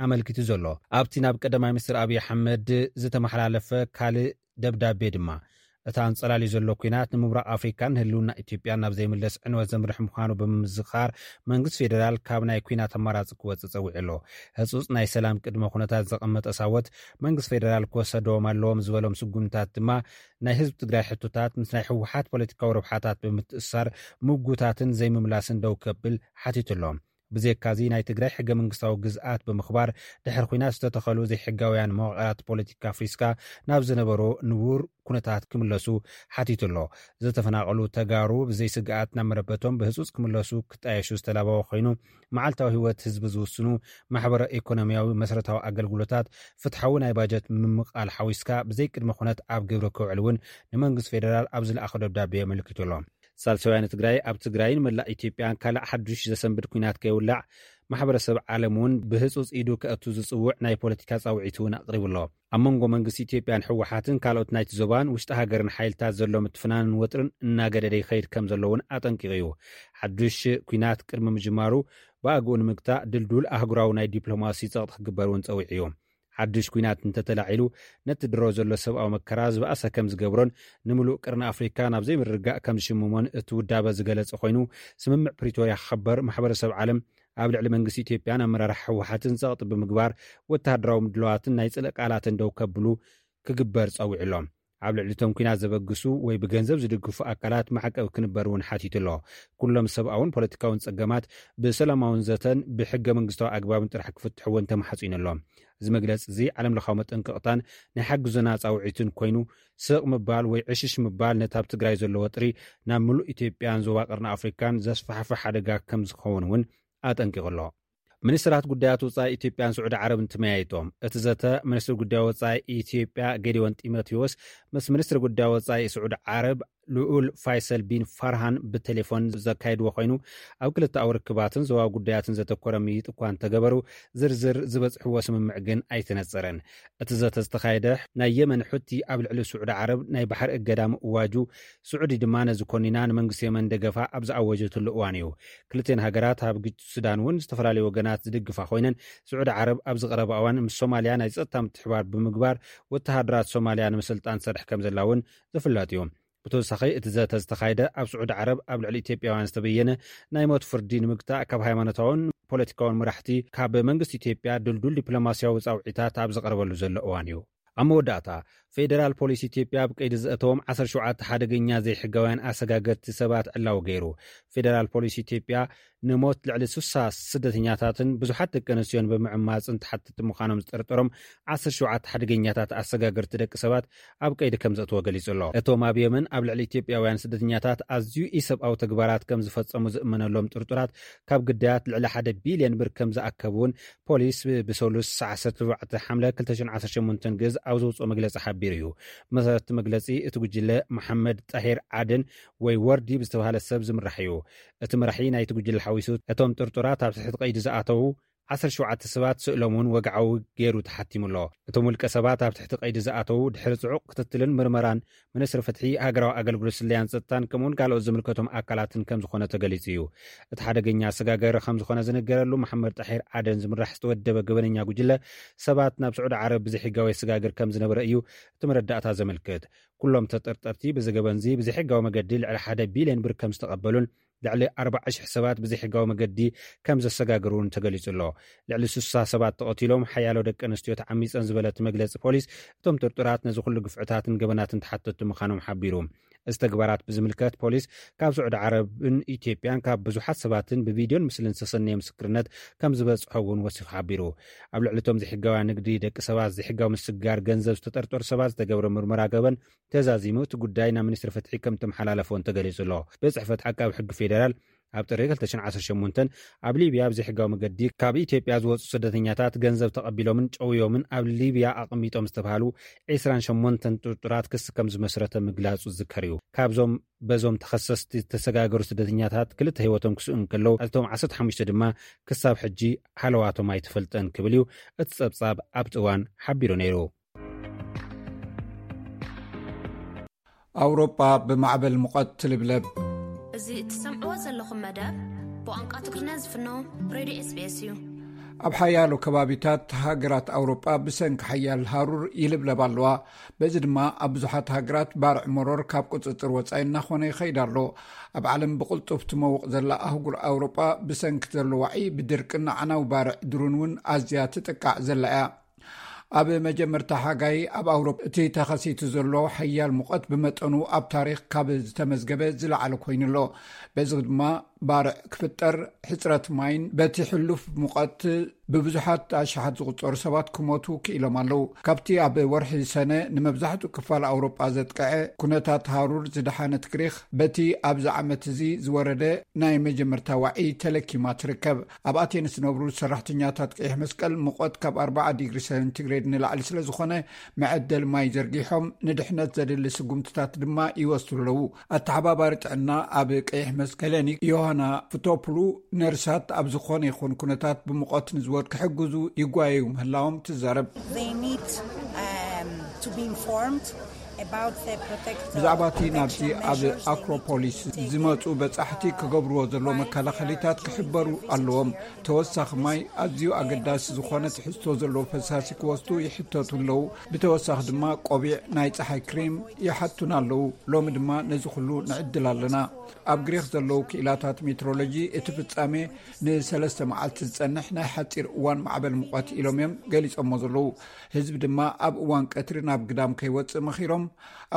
ኣመልኪቱ ዘሎ። ኣብቲ ናብ ቀዳማይ ሚኒስትር ኣብይ ኣሕመድ ዝተመሓላለፈ ካልእ ደብዳቤ ድማ፣ እቲ ኣንጸላልዩ ዘሎ ኲናት ንምብራቕ ኣፍሪካን ንህልውና ኢትዮጵያን ናብ ዘይምለስ ዕንወት ዘምርሕ ምዃኑ ብምዝኻር፣ መንግስቲ ፌደራል ካብ ናይ ኲናት ኣማራጺ ክወጽእ ጸዊዑ ኣሎ። ህጹጽ ናይ ሰላም ቅድመ ኩነታት ዘቐመጠ ሳወት፣ መንግስቲ ፌደራል ክወሰዶም ኣለዎም ዝበሎም ስጉምታት ድማ፣ ናይ ህዝቢ ትግራይ ሕቶታት ምስ ናይ ህወሓት ፖለቲካዊ ረብሓታት ብምትእስሳር ምጉታትን ዘይምምላስን ደው ከብል ሓቲቱ ኣሎ። ብዘይካዚ ናይ ትግራይ ሕገ መንግስታዊ ግዝኣት ብምኽባር ድሕሪ ኲናት ዝተተኸሉ ዘይሕጋውያን መዋቕራት ፖለቲካ ኣፍሪስካ ናብ ዝነበሮ ንቡር ኩነታት ክምለሱ ሓቲቱ ኣሎ። ዝተፈናቐሉ ተጋሩ ብዘይ ስግኣት ናብ መረበቶም ብህጹጽ ክምለሱ ክጣየሹ ዝተላበወ ኮይኑ፣ መዓልታዊ ህይወት ህዝቢ ዝውስኑ ማሕበረ ኢኮኖሚያዊ መሰረታዊ ኣገልግሎታት፣ ፍትሓዊ ናይ ባጀት ምምቓል ሓዊስካ ብዘይ ቅድመ ኩነት ኣብ ግብሪ ክውዕል እውን ንመንግስቲ ፌደራል ኣብ ዝለኣኸ ደብዳቤ ኣመልኪቱ ኣሎ። ሳልሳውያን ትግራይ ኣብ ትግራይን መላእ ኢትዮጵያን ካልእ ሓዱሽ ዘሰንብድ ኲናት ከይውላዕ ማሕበረሰብ ዓለም እውን ብህጹጽ ኢዱ ከእቱ ዝጽውዕ ናይ ፖለቲካ ጻውዒት እውን ኣቕሪቡ ኣሎ። ኣብ መንጎ መንግስቲ ኢትዮጵያን ህወሓትን ካልኦት ናይቲ ዞባን ውሽጢ ሃገርን ሓይልታት ዘሎ ምትፍናንን ወጥርን እናገደደ ይኸይድ ከም ዘሎ እውን ኣጠንቂቑ እዩ። ሓዱሽ ኲናት ቅድሚ ምጅማሩ ብኣግኡ ንምግታእ ድልዱል ኣህጉራዊ ናይ ዲፕሎማሲ ጸቕጢ ክግበር እውን ጸዊዑ እዩ። ሓዱሽ ኲናት እንተተላዒሉ ነቲ ድሮ ዘሎ ሰብኣዊ መከራ ዝበኣሰ ከም ዝገብሮን ንምሉእ ቅርኒ ኣፍሪካ ናብ ዘይምርግጋእ ከም ዝሽምሞን እቲ ውዳበ ዝገለጸ ኮይኑ፣ ስምምዕ ፕሪቶርያ ክኸበር ማሕበረሰብ ዓለም ኣብ ልዕሊ መንግስቲ ኢትዮጵያን ኣመራርሓ ህወሓትን ጸቕጢ ብምግባር ወተሃደራዊ ምድላዋትን ናይ ጽልኢ ቃላትን ደው ከብሉ ክግበር ጸዊዑ ኣሎ። ኣብ ልዕሊ እቶም ኲናት ዘበግሱ ወይ ብገንዘብ ዝድግፉ ኣካላት ማዕቀብ ክንበር እውን ሓቲቱ ኣሎ። ኩሎም ሰብኣውን ፖለቲካውን ጸገማት ብሰላማውን ዘተን ብሕገ መንግስታዊ ኣግባብን ጥራሕ ክፍትሑ እውን ተማሕጺኑ ኣሎ። እዚ መግለጺ እዚ ዓለም ለኻዊ መጠንቀቕታን ናይ ሓግዞና ጻውዒትን ኮይኑ፣ ስቕ ምባል ወይ ዕሽሽ ምባል ነቲ ኣብ ትግራይ ዘሎ ወጥሪ ናብ ምሉእ ኢትዮጵያን ዞባ ቀርኒ ኣፍሪካን ዘስፋሕፍሕ ሓደጋ ከም ዝኸውን እውን ኣጠንቂቑ ኣሎ። ሚኒስትራት ጉዳያት ወጻኢ ኢትዮጵያን ስዑዲ ዓረብን ተመያይጦም። እቲ ዘተ ሚኒስትሪ ጉዳይ ወጻኢ ኢትዮጵያ ጌዲዮን ጢሞቴዎስ ምስ ሚኒስትሪ ጉዳይ ወጻኢ ስዑዲ ዓረብ ልኡል ፋይሰል ቢን ፋርሃን ብቴሌፎን ዘካየድዎ ኮይኑ፣ ኣብ ክልተኣዊ ርክባትን ዞባዊ ጉዳያትን ዘተኮረ ምይይጥ እኳ እንተገበሩ፣ ዝርዝር ዝበጽሕዎ ስምምዕ ግን ኣይተነጸረን። እቲ ዘተ ዝተኻየደ ናይ የመን ሑቲ ኣብ ልዕሊ ስዑዲ ዓረብ ናይ ባሕሪ እገዳ ምእዋጁ፣ ስዑዲ ድማ ነዚ ኮኒና ንመንግስቲ የመን ደገፋ ኣብ ዝኣወጀትሉ እዋን እዩ። ክልተን ሃገራት ኣብ ግጭት ሱዳን እውን ዝተፈላለዩ ወገናት ዝድግፋ ኮይነን፣ ስዑዲ ዓረብ ኣብዚ ቀረባ እዋን ምስ ሶማልያ ናይ ጸጥታ ምትሕባር ብምግባር ወተሃደራት ሶማልያ ንምስልጣን ትሰርሕ ከም ዘላ እውን ዝፍለጥ እዩ። ብተወሳኺ እቲ ዘተ ዝተኻየደ ኣብ ስዑዲ ዓረብ ኣብ ልዕሊ ኢትዮጵያውያን ዝተበየነ ናይ ሞት ፍርዲ ንምግታእ ካብ ሃይማኖታውን ፖለቲካውን መራሕቲ ካብ መንግስቲ ኢትዮጵያ ድልዱል ዲፕሎማስያዊ ጻውዒታት ኣብ ዝቐረበሉ ዘሎ እዋን እዩ። ኣብ መወዳእታ ፌደራል ፖሊስ ኢትዮጵያ ኣብ ቀይዲ ዘእተዎም ዓሰርተ ሸውዓተ ሓደገኛ ዘይሕጋውያን ኣሰጋገርቲ ሰባት ዕላዊ ገይሩ። ፌደራል ፖሊስ ኢትዮጵያ ንሞት ልዕሊ ሱሳ ስደተኛታትን ብዙሓት ደቂ ኣንስትዮን ብምዕማፅን ተሓተቲ ምዃኖም ዝጠርጠሮም ዓሰርተ ሸውዓተ ሓደገኛታት ኣሰጋገርቲ ደቂ ሰባት ኣብ ቀይዲ ከም ዘእትዎ ገሊጹ ኣሎ። እቶም ኣብ የመን ኣብ ልዕሊ ኢትዮጵያውያን ስደተኛታት ኣዝዩ ኢሰብኣዊ ተግባራት ከም ዝፈጸሙ ዝእመነሎም ጥርጡራት ካብ ግዳያት ልዕሊ ሓደ ቢልዮን ብር ከም ዝኣከቡ እውን ፖሊስ ብ-፣ ብሰሉስ ሰዓት ዓሰርተ ኣርባዕተ ሓምለ ክልተ ሽሕን ዓሰርተ ሸሞንተን ግእዝ ኣብ ዘውፅኦ መግለፂ ሓቢሩ እዩ። ብመሰረት እቲ መግለፂ እቲ ጉጅለ መሓመድ ጣሂር ዓደን ወይ ወርዲ ብዝተባሃለ ሰብ ዝምራሕ እዩ። እቲ መራሒ ናይቲ ጉጅለ ሓዊሱ እቶም ጥርጡራት ኣብ ትሕቲ ቀይዲ ዝኣተዉ ዓሰርተ ሸውዓተ ሰባት ስእሎም እውን ወግዓዊ ገይሩ ተሓቲሙ ኣሎ። እቶም ውልቀ ሰባት ኣብ ትሕቲ ቀይዲ ዝኣተዉ ድሕሪ ጽዑቕ ክትትልን ምርመራን ሚኒስትሪ ፍትሒ፣ ሃገራዊ ኣገልግሎት ስለያን ጸጥታን ከምኡውን ካልኦት ዝምልከቶም ኣካላትን ከም ዝኾነ ተገሊጹ እዩ። እቲ ሓደገኛ ኣሰጋገሪ ከም ዝኾነ ዝንገረሉ መሓመድ ጣሒር ዓደን ዝምራሕ ዝተወደበ ገበነኛ ጉጅለ ሰባት ናብ ስዑዲ ዓረብ ብዘይሕጋዊ ኣሰጋግር ከም ዝነበረ እዩ እቲ መረዳእታ ዘመልክት። ኩሎም ተጠርጠርቲ ብዚ ገበንዚ ብዘይሕጋዊ መገዲ ልዕሊ ሓደ ቢልዮን ብር ከም ዝተቐበሉን ልዕሊ ኣርባዓ ሽሕ ሰባት ብዘይሕጋዊ መገዲ ከም ዘሰጋገሩ እውን ተገሊጹ ኣሎ። ልዕሊ ስሳ ሰባት ተቐቲሎም፣ ሓያሎ ደቂ ኣንስትዮ ተዓሚጸን ዝበለ እቲ መግለጺ ፖሊስ፣ እቶም ጥርጡራት ነዚ ኩሉ ግፍዕታትን ገበናትን ተሓተትቲ ምዃኖም ሓቢሩ። እዚ ተግባራት ብዝምልከት ፖሊስ ካብ ስዑዲ ዓረብን ኢትዮጵያን ካብ ብዙሓት ሰባትን ብቪድዮን ምስልን ዝተሰነየ ምስክርነት ከም ዝበጽሖ እውን ወሲኹ ሓቢሩ። ኣብ ልዕሊ እቶም ዘይሕጋውያን ንግዲ ደቂ ሰባት ዘይሕጋዊ ምስግጋር ገንዘብ ዝተጠርጠሩ ሰባት ዝተገብረ ምርመራ ገበን ተዛዚሙ እቲ ጉዳይ ናብ ሚኒስትሪ ፍትሒ ከም ተመሓላለፎ እንተገሊጹ ኣሎ። ቤት ጽሕፈት ዓቃቢ ሕጊ ፌደራል ኣብ ጥሪ ክልተ ሽሕን ዓሰርተ ሸሞንተን ኣብ ሊብያ ብዘይሕጋዊ መገዲ ካብ ኢትዮጵያ ዝወጹ ስደተኛታት ገንዘብ ተቐቢሎምን ጨውዮምን ኣብ ሊብያ ኣቐሚጦም ዝተባሃሉ ዒስራን ሸሞንተን ጥርጡራት ክሲ ከም ዝመስረተ ምግላጹ ዝዝከር እዩ። ካብዞም በዞም ተኸሰስቲ ዝተሰጋገሩ ስደተኛታት ክልተ ህይወቶም ክስኡ እንከለዉ፣ እቶም ዓሰርተ ሓሙሽተ ድማ ክሳብ ሕጂ ሃለዋቶም ኣይተፈልጠን ክብል እዩ እቲ ጸብጻብ ኣብቲ እዋን ሓቢሩ ነይሩ። ኣውሮጳ ብማዕበል ሙቐት ትልብለብ። እዚ እትሰምዕዎ ዘለኹም መደብ ብቋንቋ ትግርኛ ዝፍኖ ሬድዮ ኤስ ቢ ኤስ እዩ። ኣብ ሓያሎ ከባቢታት ሃገራት ኣውሮጳ ብሰንኪ ሓያል ሃሩር ይልብለባ ኣለዋ። በዚ ድማ ኣብ ብዙሓት ሃገራት ባርዕ መሮር ካብ ቁጽጽር ወጻኢ እናኾነ ይኸይድ ኣሎ። ኣብ ዓለም ብቕልጡፍ ትመውቕ ዘላ ኣህጉር ኣውሮጳ ብሰንኪ ዘሎ ዋዒ ብድርቅን ኣዕናዊ ባርዕ ድሩን እውን ኣዝያ ትጥቃዕ ዘላ እያ። ኣብ መጀመርታ ሓጋይ ኣብ ኣውሮፓ እቲ ተኸሲቱ ዘሎ ሓያል ሙቐት ብመጠኑ ኣብ ታሪኽ ካብ ዝተመዝገበ ዝለዓለ ኮይኑ ኣሎ። በዚ ድማ ባርዕ ክፍጠር፣ ሕፅረት ማይን በቲ ሕሉፍ ሙቐት ብብዙሓት ኣሽሓት ዝቑጸሩ ሰባት ክሞቱ ክኢሎም ኣለዉ። ካብቲ ኣብ ወርሒ ሰነ ንመብዛሕትኡ ክፋል ኣውሮጳ ዘጥቀዐ ኩነታት ሃሩር ዝደሓነት ግሪኽ፣ በቲ ኣብዚ ዓመት እዚ ዝወረደ ናይ መጀመርታ ዋዒ ተለኪማ ትርከብ። ኣብ ኣቴንስ ዝነብሩ ሰራሕተኛታት ቀይሕ መስቀል፣ ሙቐት ካብ ኣርባዓ ዲግሪ ሴንቲግሬድ ንላዕሊ ስለ ዝኾነ፣ መዐደል ማይ ዘርጊሖም፣ ንድሕነት ዘድሊ ስጉምትታት ድማ ይወስዱ ኣለዉ። ኣተሓባባሪ ጥዕና ኣብ ቀይሕ መስቀል ሄለኒክ ዮሃና ፍቶፕሉ፣ ነርሳት ኣብ ዝኾነ ይኹን ኩነታት ብሙቐት ንዝወድ ክሕግዙ ይጓየዩ ምህላዎም ትዛረብ። They need um, to be informed about the protect- ብዛዕባ እቲ ናብዚ protection ኣብ measures they need to ኣክሮፖሊስ take. ዝመፁ በፃሕቲ ክገብርዎ ዘለዎ መከላኸሊታት ክሕበሩ ኣለዎም። ተወሳኺ ማይ ኣዝዩ ኣገዳሲ ዝኾነ ትሕዝቶ ዘለዎ ፈሳሲ ክወስዱ ይሕተቱ ኣለዉ። ብተወሳኺ ድማ ቆቢዕ፣ ናይ ፀሓይ ክሬም ይሓቱና ኣለዉ። ሎሚ ድማ ነዚ ኩሉ ንዕድል ኣለና። ኣብ ግሪኽ ዘለዉ ክኢላታት ሜትሮሎጂ፣ እቲ ፍጻሜ ንሰለስተ መዓልቲ ዝጸንሕ ናይ ሓጺር እዋን ማዕበል ሙቐት ኢሎም እዮም ገሊጾሞ ዘለዉ። ህዝቢ ድማ ኣብ እዋን ቀትሪ ናብ ግዳም ከይወጽእ መኺሮም።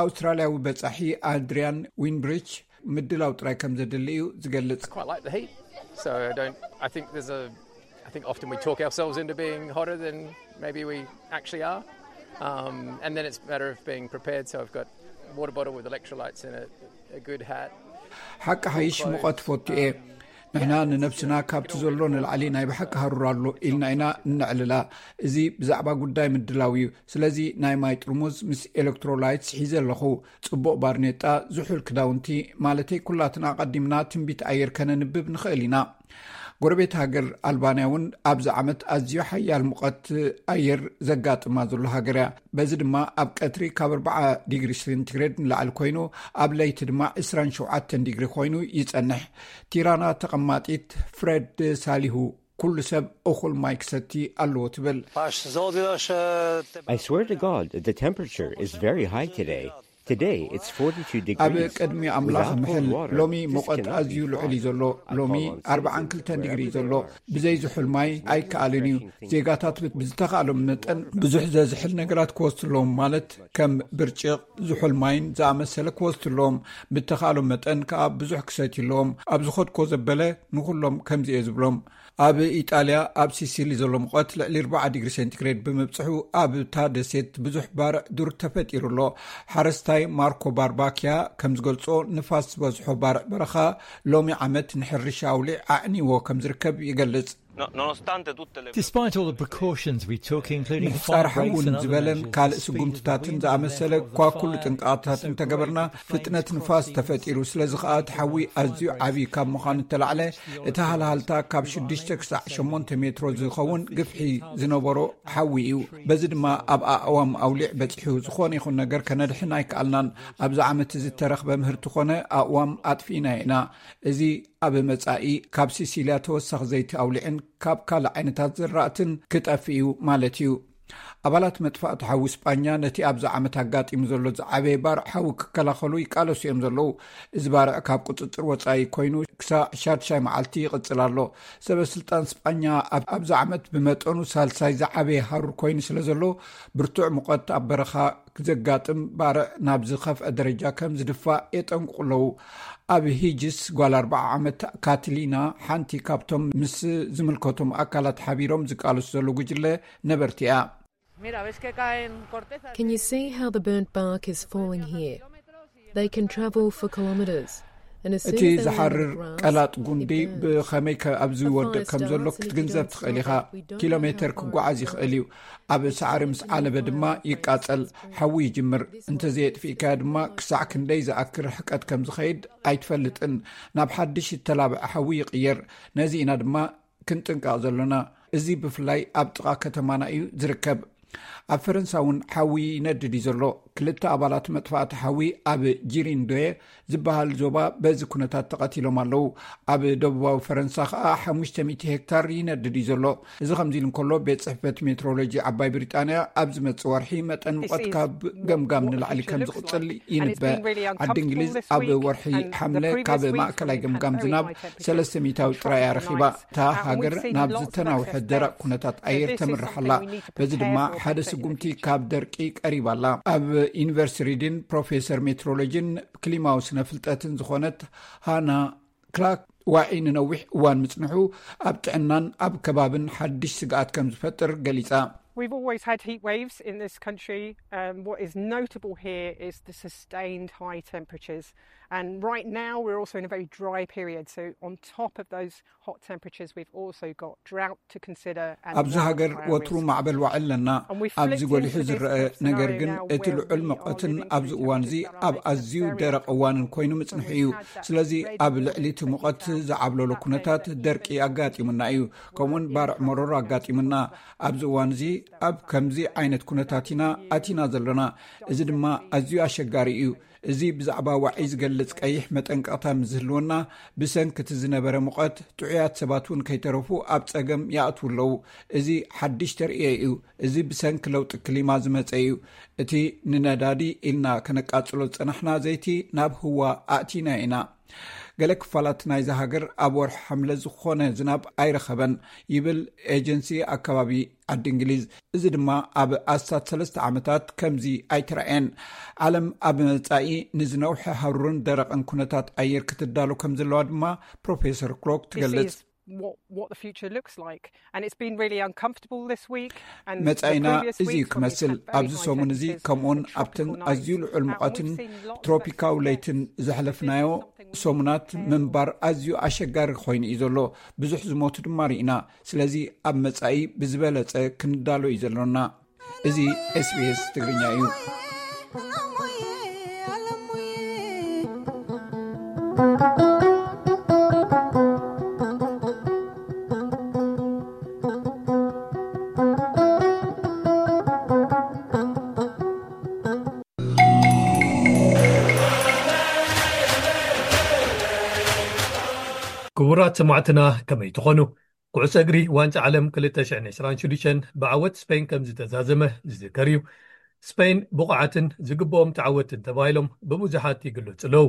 ኣውስትራልያዊ በጻሒ ኣድሪያን ዊንብሪች፣ ምድላው ጥራይ ከም ዘድሊ እዩ ዝገልጽ። Quite like the heat, so I don't. I think there's a. I think often we talk ourselves into being hotter than maybe we actually are, um, and then it's a matter of being prepared. So I've got a water bottle with electrolytes in it, a good hat. ሓቂ ሓይሽ፣ ሙቐት ፈቱ እየ። ንሕና ንነብስና ካብቲ ዘሎ ንላዕሊ ናይ ብሓቂ ሃሩር ኣሎ ኢልና ኢና እነዕልላ። እዚ ብዛዕባ ጉዳይ ምድላው እዩ። ስለዚ ናይ ማይ ጥርሙዝ ምስ ኤሌክትሮላይትስ ሒዘ ኣለኹ። ጽቡቕ ባርኔጣ፣ ዝሑል ክዳውንቲ፣ ማለተይ ኩላትና ኣቐዲምና ትንቢት ኣየር ከነንብብ ንኽእል ኢና። ጎረቤት ሃገር ኣልባንያ እውን ኣብዚ ዓመት ኣዝዩ ሓያል ሙቐት ኣየር ዘጋጥማ ዘሎ ሃገር እያ። በዚ ድማ ኣብ ቀትሪ ካብ ኣርባዓ ዲግሪ ሴንቲግሬድ ንላዕሊ ኮይኑ፣ ኣብ ለይቲ ድማ ዕስራን ሸውዓተን ዲግሪ ኮይኑ ይጸንሕ። ቲራና ተቐማጢት ፍሬድ ሳሊሁ፣ ኩሉ ሰብ እኹል ማይ ክሰቲ ኣለዎ ትብል። I swear to God that the temperature is very high today. Today it's forty-two ኣብ degrees. ቅድሚ ኣምላኽ Without ምሕል፣ cold water, ሎሚ this ሙቐት cannot be ኣዝዩ ልዑል እዩ fun. ዘሎ። I ሎሚ call on ኣርባዓን citizens ክልተን ዲግሪ እዩ wherever ዘሎ። they are. ብዘይ ዝሑል ማይ ኣይከኣልን እዩ። ዜጋታት ብዝተኻእሎም መጠን ብዙሕ ዘዝሕል ነገራት ክወስዱ ኣለዎም፣ ማለት ከም ብርጭቕ፣ ዝሑል ማይን ዝኣመሰለ ክወስዱ ኣለዎም። ብተኻእሎም መጠን ከኣ ብዙሕ ክሰትዩ ኣለዎም። ኣብ ዝኸድኮ ዘበለ ንኹሎም ከምዚ እየ ዝብሎም። ኣብ ኢጣልያ ኣብ ሲሲሊ ዘሎ ሙቐት ልዕሊ ኣርባዓ ዲግሪ ሴንቲግሬድ ብምብጽሑ ኣብታ ደሴት ብዙሕ ባርዕ ዱር ተፈጢሩ ኣሎ። ሓረስታይ ማርኮ ባርባኪያ ከም ዝገልጾ፣ ንፋስ ዝበዝሖ ባርዕ በረኻ ሎሚ ዓመት ንሕርሻ ኣውሊዕ ኣዕኒዎ ከም ዝርከብ ይገልጽ። No- nonostante tutte le Despite all the precautions we took, including ምሕጻር fire ሓዊ breaks and other ዝበለን measures, ካልእ the speed of ስጉምትታትን the wind ዝኣመሰለ and እኳ therefore the ኩሉ fire ጥንቃቐታትን so ተገበርና፣ great that flames ፍጥነት cross ንፋስ the ተፈጢሩ ስለ ዝኸኣ እቲ ሓዊ ኣዝዩ ዓብዪ ካብ ምዃኑ እተላዕለ፣ እቲ ሃልሃልታ ካብ ሽዱሽተ ክሳዕ ሸሞንተ ሜትሮ ዝኸውን ግፍሒ ዝነበሮ ሓዊ እዩ። በዚ ድማ ኣብ ኣእዋም ኣውሊዕ በጺሑ፣ ዝኾነ ይኹን ነገር ከነድሕን ኣይከኣልናን። ኣብዚ ዓመት እዚ እተረኽበ ምህርቲ ኮነ ኣእዋም ኣጥፊእና ኢና። እዚ ኣብ መጻኢ ካብ ሲሲልያ ተወሳኺ ዘይቲ ኣውሊዕን ካብ ካልእ ዓይነታት ዝራእትን ክጠፍእ እዩ ማለት እዩ። ኣባላት መጥፋእቲ ሓዊ ስጳኛ ነቲ ኣብዚ ዓመት ኣጋጢሙ ዘሎ ዝዓበየ ባርዕ ሓዊ ክከላኸሉ ይቃለሱ እዮም ዘለዉ። እዚ ባርዕ ካብ ቁጽጽር ወጻኢ ኮይኑ ክሳዕ ሻድሻይ መዓልቲ ይቕጽል ኣሎ። ሰበ ስልጣን ስጳኛ ኣብ- ኣብዚ ዓመት ብመጠኑ ሳልሳይ ዝዓበየ ሃሩር ኮይኑ ስለ ዘሎ፣ ብርቱዕ ሙቐት ኣብ በረኻ ዘጋጥም ባርዕ ናብ ዝኸፍአ ደረጃ ከም ዝድፋእ የጠንቅቑ ኣለዉ። ኣብ ሂጅስ ጓል ኣርባዓ ዓመት ካትሊና፣ ሓንቲ ካብቶም ምስ ዝምልከቶም ኣካላት ሓቢሮም ዝቃለሱ ዘለዉ ጉጅለ ነበርቲ እያ። Mira, ves que caen cortezas. Can you see how the burnt bark is falling here? They can travel for kilometres. And as soon እቲ as they land on ዝሓርር the grass, ቀላጥ it ጉንዲ burns. ብኸመይ ከ- ኣብ ዝወድቕ ከም ዘሎ ክትግንዘብ ትኽእል ኢኻ። ኪሎ ሜተር ክጓዓዝ ይኽእል እዩ። ኣብ ሳዕሪ ምስ ዓለበ ድማ ይቃጸል፣ ሓዊ ይጅምር። እንተዘየጥፊእካዮ ድማ ክሳዕ ክንደይ ዝኣክል ርሕቀት ከም ዝኸይድ ኣይትፈልጥን። ናብ ሓድሽ ዝተላብዐ ሓዊ ይቕየር። ነዚ ኢና ድማ ክንጥንቀቕ ዘሎና። እዚ ብፍላይ ኣብ ጥቓ ከተማና እዩ ዝርከብ። ኣብ ፈረንሳ እውን ሓዊ ይነድድ እዩ ዘሎ። ክልተ ኣባላት መጥፋእቲ ሓዊ ኣብ ጂሪንዶየ ዝበሃል ዞባ በዚ ኩነታት ተቐቲሎም ኣለዉ። ኣብ ደቡባዊ ፈረንሳ ከኣ ሓሙሽተ ሚእቲ ሄክታር ይነድድ እዩ ዘሎ። እዚ ከምዚ ኢሉ እንከሎ፣ ቤት ጽሕፈት ሜትሮሎጂ ዓባይ ብሪጣንያ ኣብ ዝመጽእ ወርሒ መጠን ሙቐት ካብ ገምጋም ንላዕሊ ከም ዝቕጽል ይንበ። ዓዲ እንግሊዝ ኣብ ወርሒ ሓምለ ካብ ማእከላይ ገምጋም ዝናብ ሰለስተ ሚእታዊ ጥራይ ኣረኺባ። እታ ሃገር ናብ ዝተናውሐ ደረቕ ኩነታት ኣየር ተምርሕ ኣላ። በዚ ድማ ሓደ ስጉምቲ ካብ ደርቂ ቀሪባ ኣላ። ኣብ ዩኒቨርሲቲ ሪድን ፕሮፌሰር ሜትሮሎጂን ክሊማዊ ስነ ፍልጠትን ዝኾነት ሃና ክላክ ዋዒ ንነዊሕ እዋን ምጽንሑ ኣብ ጥዕናን ኣብ ከባብን ሓድሽ ስግኣት ከም ዝፈጥር ገሊጻ። We've always had heat waves in this country. Um, what is notable here is the sustained high temperatures. And right now, we're also in a very dry period. So, on top of those hot temperatures, we've also got drought to consider. ኣብዚ ሃገር ወትሩ ማዕበል ዋዒ ኣለና። ኣብዚ ጎሊሑ ዝረአ ነገር ግን እቲ ልዑል ሙቐትን ኣብዚ እዋን እዚ ኣብ ኣዝዩ ደረቕ እዋንን ኮይኑ ምጽንሑ እዩ። ስለዚ ኣብ ልዕሊ እቲ ሙቐት ዝዓብለሎ ኩነታት ደርቂ ኣጋጢሙና እዩ። ከምኡውን ባርዕ መሮር ኣጋጢሙና። ኣብዚ እዋን እዚ ኣብ ከምዚ ዓይነት ኩነታት ኢና ኣቲና ዘለና። እዚ ድማ ኣዝዩ ኣሸጋሪ እዩ። እዚ ብዛዕባ ዋዒ ዝገልጽ ቀይሕ መጠንቀቕታ ምስ ዝህልወና፣ ብሰንኪ እቲ ዝነበረ ሙቐት ጥዑያት ሰባት እውን ከይተረፉ ኣብ ጸገም ይኣትዉ ኣለዉ። እዚ ሓድሽ ተርእዮ እዩ። እዚ ብሰንኪ ለውጢ ክሊማ ዝመጸ እዩ። እቲ ንነዳዲ ኢልና ከነቃጽሎ ዝጸናሕና ዘይቲ ናብ ህዋ ኣእቲና ኢና። ገለ ክፋላት ናይዚ ሃገር ኣብ ወርሒ ሓምለ ዝኾነ ዝናብ ኣይረኸበን ይብል ኤጀንሲ ኣከባቢ ዓዲ እንግሊዝ። እዚ ድማ ኣብ ኣስታት ሰለስተ ዓመታት ከምዚ ኣይተራእየን። ዓለም ኣብ መጻኢ ንዝነውሐ ሃሩርን ደረቕን ኩነታት ኣየር ክትዳሎ ከም ዘለዋ ድማ ፕሮፌሰር ክሎክ ትገልጽ። What, what the future looks like. And it's been really uncomfortable this week. And the መጻኢና previous እዚ እዩ weeks when we've ክመስል። had very ኣብዚ high ሰሙን እዚ temperatures ከምኡውን and ኣብትን tropical nights, ኣዝዩ ልዑል uh, ሙቐትን we've seen lots of ትሮፒካዊ extreme ለይትን weather. ዘሕለፍናዮ This is something ሰሙናት that ምንባር ኣዝዩ ኣሸጋሪ ኮይኑ እዩ ዘሎ። ብዙሕ ዝሞቱ ድማ ርኢና። ስለዚ ኣብ መጻኢ ብዝበለጸ ክንዳሎ እዩ ዘሎና። እዚ ኤስቢኤስ ትግርኛ እዩ። ክቡራት ሰማዕትና፣ ከመይ ትኾኑ? ኩዕሶ እግሪ ዋንጫ ዓለም ክልተ ሽሕን ዕስራን ሽዱሽተን ብዓወት ስፔን ከም ዝተዛዘመ ዝዝከር እዩ። ስፔን ብቑዓትን ዝግብኦም ተዓወትን ተባሂሎም ብብዙሓት ይግለጹ ኣለዉ።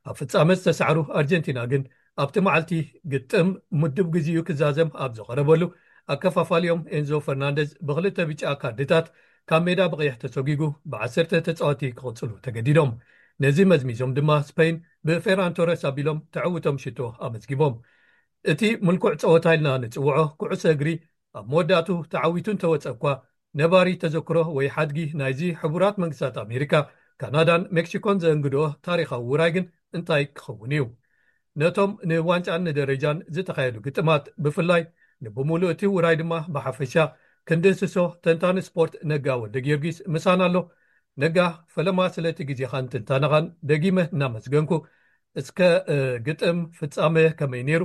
ኣብ ፍጻመ ዝተሳዕሩ ኣርጀንቲና ግን ኣብቲ መዓልቲ ግጥም ምዱብ ግዜኡ ክዛዘም ኣብ ዝቐረበሉ፣ ኣከፋፋሊኦም ኤንዞ ፈርናንደዝ ብኽልተ ብጫ ካርድታት ካብ ሜዳ ብቐይሕ ተሰጒጉ ብዓሰርተ ተጻወቲ ክቕጽሉ ተገዲዶም። ነዚ መዝሚዞም ድማ ስፔን ብፌራን ቶረስ ኣቢሎም ተዕውቶም ሽቶ ኣመዝጊቦም። እቲ ምልኩዕ ጸወታ ኢልና ንጽውዖ ኩዕሶ እግሪ ኣብ መወዳእቱ ተዓዊቱ እንተወጸ እኳ፣ ነባሪ ተዘክሮ ወይ ሓድጊ ናይዚ ሕቡራት መንግስታት ኣሜሪካ፣ ካናዳን ሜክሲኮን ዘእንግድኦ ታሪኻዊ ውራይ ግን እንታይ ክኸውን እዩ? ነቶም ንዋንጫን ንደረጃን ዝተኻየዱ ግጥማት ብፍላይ፣ ንብምሉእ እቲ ውራይ ድማ ብሓፈሻ ክንድህስሶ፣ ተንታኒ ስፖርት ነጋ ወልደ ጊዮርጊስ ምሳና ኣሎ። ነጋ፣ ፈለማ ስለቲ ግዜኻን ትንታነኻን ደጊመ እናመስገንኩ፣ እስከ፣ እ፣ ግጥም ፍጻመ ከመይ ነይሩ?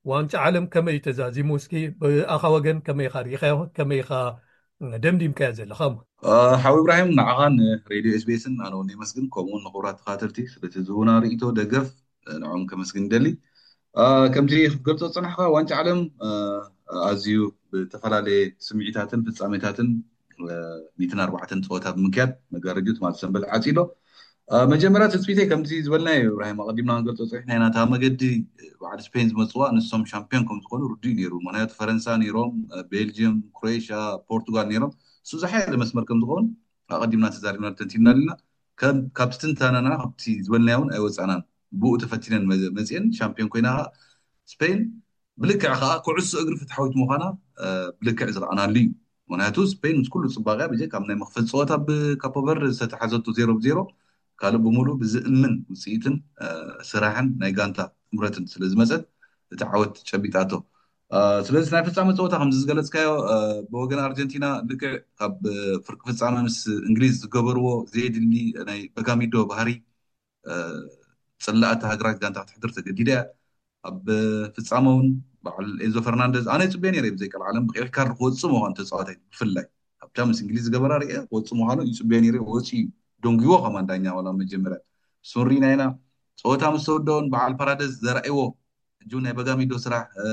ዋንጫ ዓለም ከመይ ተዛዚሙ? እስኪ ብኣኻ ወገን ከመይ ኢኻ ርኢኻዮ? ከመይ ኢኻ ደምዲምካዮ ዘለኻ? እ፣ ሓው ኢብራሂም፣ ንዓኻ፣ ንሬድዮ ኤስቢኤስን ኣነ እውን የመስግን፣ ከምኡ እውን ንኽቡራት ተኸታተልቲ ስለቲ ዝህቡና ርእይቶ፣ ደገፍ፣ እ፣ ንዕኦም ከመስግን ይደሊ። እ፣ ከምቲ ክትገልጾ ዝጸናሕካ፣ ዋንጫ ዓለም፣ እ፣ ኣዝዩ ብተፈላለየ ስምዒታትን ፍጻሜታትን፣ እ፣ ሚእትን ኣርባዕተን ጸወታ ብምክያድ መጋረጃ ትማሊ ሰንበት ዓጺሎ። እ፣ መጀመርያ ትጽቢተይ ከምቲ ዝበልናዮ፣ ኢብራሂም፣ ኣቐዲምና ክንገልጾ ጸኒሕና ኢና፣ እታ መገዲ፣ እ፣ በዓል ስፔን ዝመጽዋ፣ ንሶም ሻምፒዮን ከም ዝኾኑ ርዱእ እዩ ነይሩ። ምኽንያቱ ፈረንሳ ነይሮም፣ እ፣ ቤልጅየም፣ ክሮኤሽያ፣ ፖርቱጋል ነይሮም። እሱ ዝሓየለ መስመር ከም ዝኸውን ኣቐዲምና ተዛሪብና፣ ተንቲንና ኣለና። ከም፣ ካብቲ ትንተናና፣ ካብቲ ዝበልናዮ እውን ኣይወጻእናን። ብኡ ተፈቲነን መ-፣ መጺአን ሻምፒዮን ኮይና፣ ስፔን ብልክዕ ከዓ ኩዕሶ እግሪ ፍትሓዊት ምዃና፣ እ፣ ብልክዕ ዝረኣናሉ እዩ። ምኽንያቱ ስፔን ምስ ኩሉ ጽባቐያ፣ ብጀካ ኣብ ናይ መኽፈቲ ጸወታ ብካፖ ቨርደ ዝተተሓዘቶ ዜሮ ብዜሮ፣ ካልእ ብምሉእ ብዝእምን ውጽኢትን፣ እ፣ ስራሕን ናይ ጋንታ ጥምረትን ስለ ዝመጸት፣ እቲ ዓወት ጨቢጣቶ። እ፣ ስለዚ ናይ ፍጻመ ጸወታ ከምዚ ዝገለጽካዮ፣ እ፣ ብወገን ኣርጀንቲና ልክዕ ካብ፣ እ፣ ፍርቂ ፍጻመ ምስ እንግሊዝ ዝገበርዎ ዘየድሊ ናይ በጋሚዶ ባህሪ፣ እ፣ ጽላእቲ ሃገራት ጋንታ ክትሕድር ተገዲዳ እያ። ኣብ ፍጻመ እውን በዓል ኤንዞ ፈርናንደዝ፣ ኣነ ይጽበዮ ነይረ ብዘይ ቀልዓለም ብቀይሕ ካርድ ክወጽእ ምዃኑ ተጻዋታይ ብፍላይ ኣብታ ምስ እንግሊዝ ዝገበራ ርየ ክወጽእ ምዃኑ ይጽበዮ ነይረ። ወጺኡ እዩ፣ ደንጉይዎ ከማን ዳኛ ዋላ መጀመርያ። እሱ ንሪኢና ኢና። ጸወታ ምስ ተወደኦን በዓል ፓራደዝ ዘርኣይዎ ሕጂ እውን ናይ በጋሚዶ ስራሕ፣ እ፣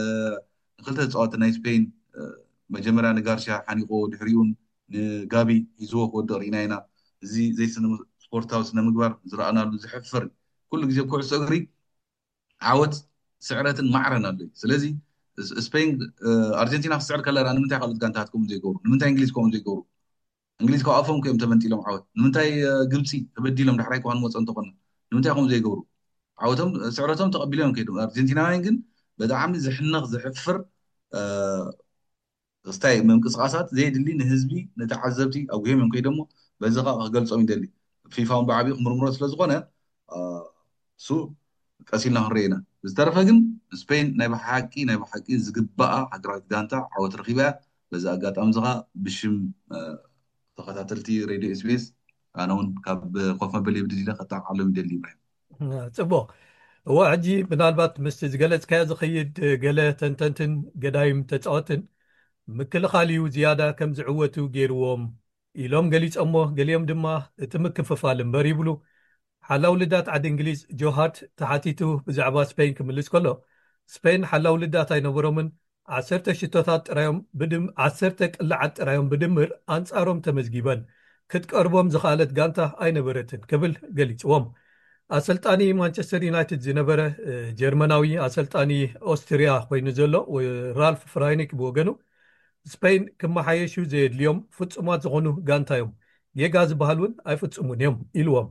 ንክልተ ተጻወቲ ናይ ስፔን፣ እ፣ መጀመርያ ንጋርሻ ሓኒቆ፣ ድሕሪኡን ንጋቢ ሒዝዎ ክወድቕ ርኢና ኢና። እዚ ዘይስነ-፣ ስፖርታዊ ስነ ምግባር ዝረኣናሉ ዘሕፍር እዩ። ኩሉ ግዜ ኩዕሶ እግሪ ዓወት፣ ስዕረትን ማዕረን ኣሎ እዩ። ስለዚ ስ-፣ ስፔን፣ እ፣ ኣርጀንቲና ክትስዕር ከላ ደኣ ንምንታይ ካልኦት ጋንታታት ከምኡ ዘይገብሩ? ንምንታይ እንግሊዝ ከምኡ ዘይገብሩ? እንግሊዝ ካብ ኣፎም እዮም ተመንጢሎም ዓወት። ንምንታይ፣ እ፣ ግብጺ ተበዲሎም ዳሕራይ እኳ ንመጾ እንተኾነ ንምንታይ ከምኡ ዘይገብሩ? ዓወቶም፣ ስዕረቶም ተቐቢሎም እዮም ከይዶም። ኣርጀንቲናውያን ግን ብጣዕሚ ዝሕነቕ፣ ዝሕፍር፣ እ፣ ስታይ ምንቅስቃሳት፣ ዘየድሊ፣ ንህዝቢ፣ ንተዓዘብቲ ኣጉሂም እዮም ከይዶሞ። በዚ ከዓ ክገልጾም ይደሊ። ፊፋ እውን ብዓቢኡ ክምርምሮ ስለ ዝኾነ፣ እ፣ እሱ ቀስ ኢልና ክንርኢ ኢና። ብዝተረፈ ግን ስፔን ናይ ብሓቂ፣ ናይ ብሓቂ ዝግባኣ ሃገራዊት ጋንታ ዓወት ረኺባ እያ። በዚ ኣጋጣሚ እዚ ከዓ ብሽም፣ እ፣ ተኸታተልቲ ሬድዮ ኤስቢኤስ ኣነ እውን ካብ ኮፍ መበሊ ብድል ኢለ ከጣቃሎም ይደሊ። ኢብራሂም። ጽቡቕ። እወ፣ ሕጂ ምናልባት ምስቲ ዝገለጽካዮ ዝኸይድ፣ ገለ ተንተንትን ገዳይም ተጻወትን ምክልኻል እዩ ዝያዳ ከም ዝዕወቱ ገይርዎም ኢሎም ገሊጾሞ፣ ገሊኦም ድማ እቲ ምክፍፋል እምበር ይብሉ። ሓላው ልዳት ዓዲ እንግሊዝ ጆሃርት ተሓቲቱ ብዛዕባ ስፔን ክምልስ ከሎ፣ ስፔን ሓላው ልዳት ኣይነበሮምን፣ ዓሰርተ ሽቶታት ጥራዮም ብድም-፣ ዓሰርተ ቅላዓት ጥራዮም ብድምር ኣንጻሮም ተመዝጊበን። ክትቀርቦም ዝኸኣለት ጋንታ ኣይነበረትን ክብል ገሊጽዎም። ኣሰልጣኒ ማንቸስተር ዩናይትድ ዝነበረ፣ እ፣ ጀርመናዊ ኣሰልጣኒ ኦስትርያ ኮይኑ ዘሎ፣ ወ-፣ ራልፍ ፍራይኒክ ብወገኑ፣ ስፔን ክመሓየሹ ዘየድልዮም ፍጹማት ዝኾኑ ጋንታ እዮም። ጌጋ ዝበሃል እውን ኣይፍጹሙን እዮም ኢልዎም።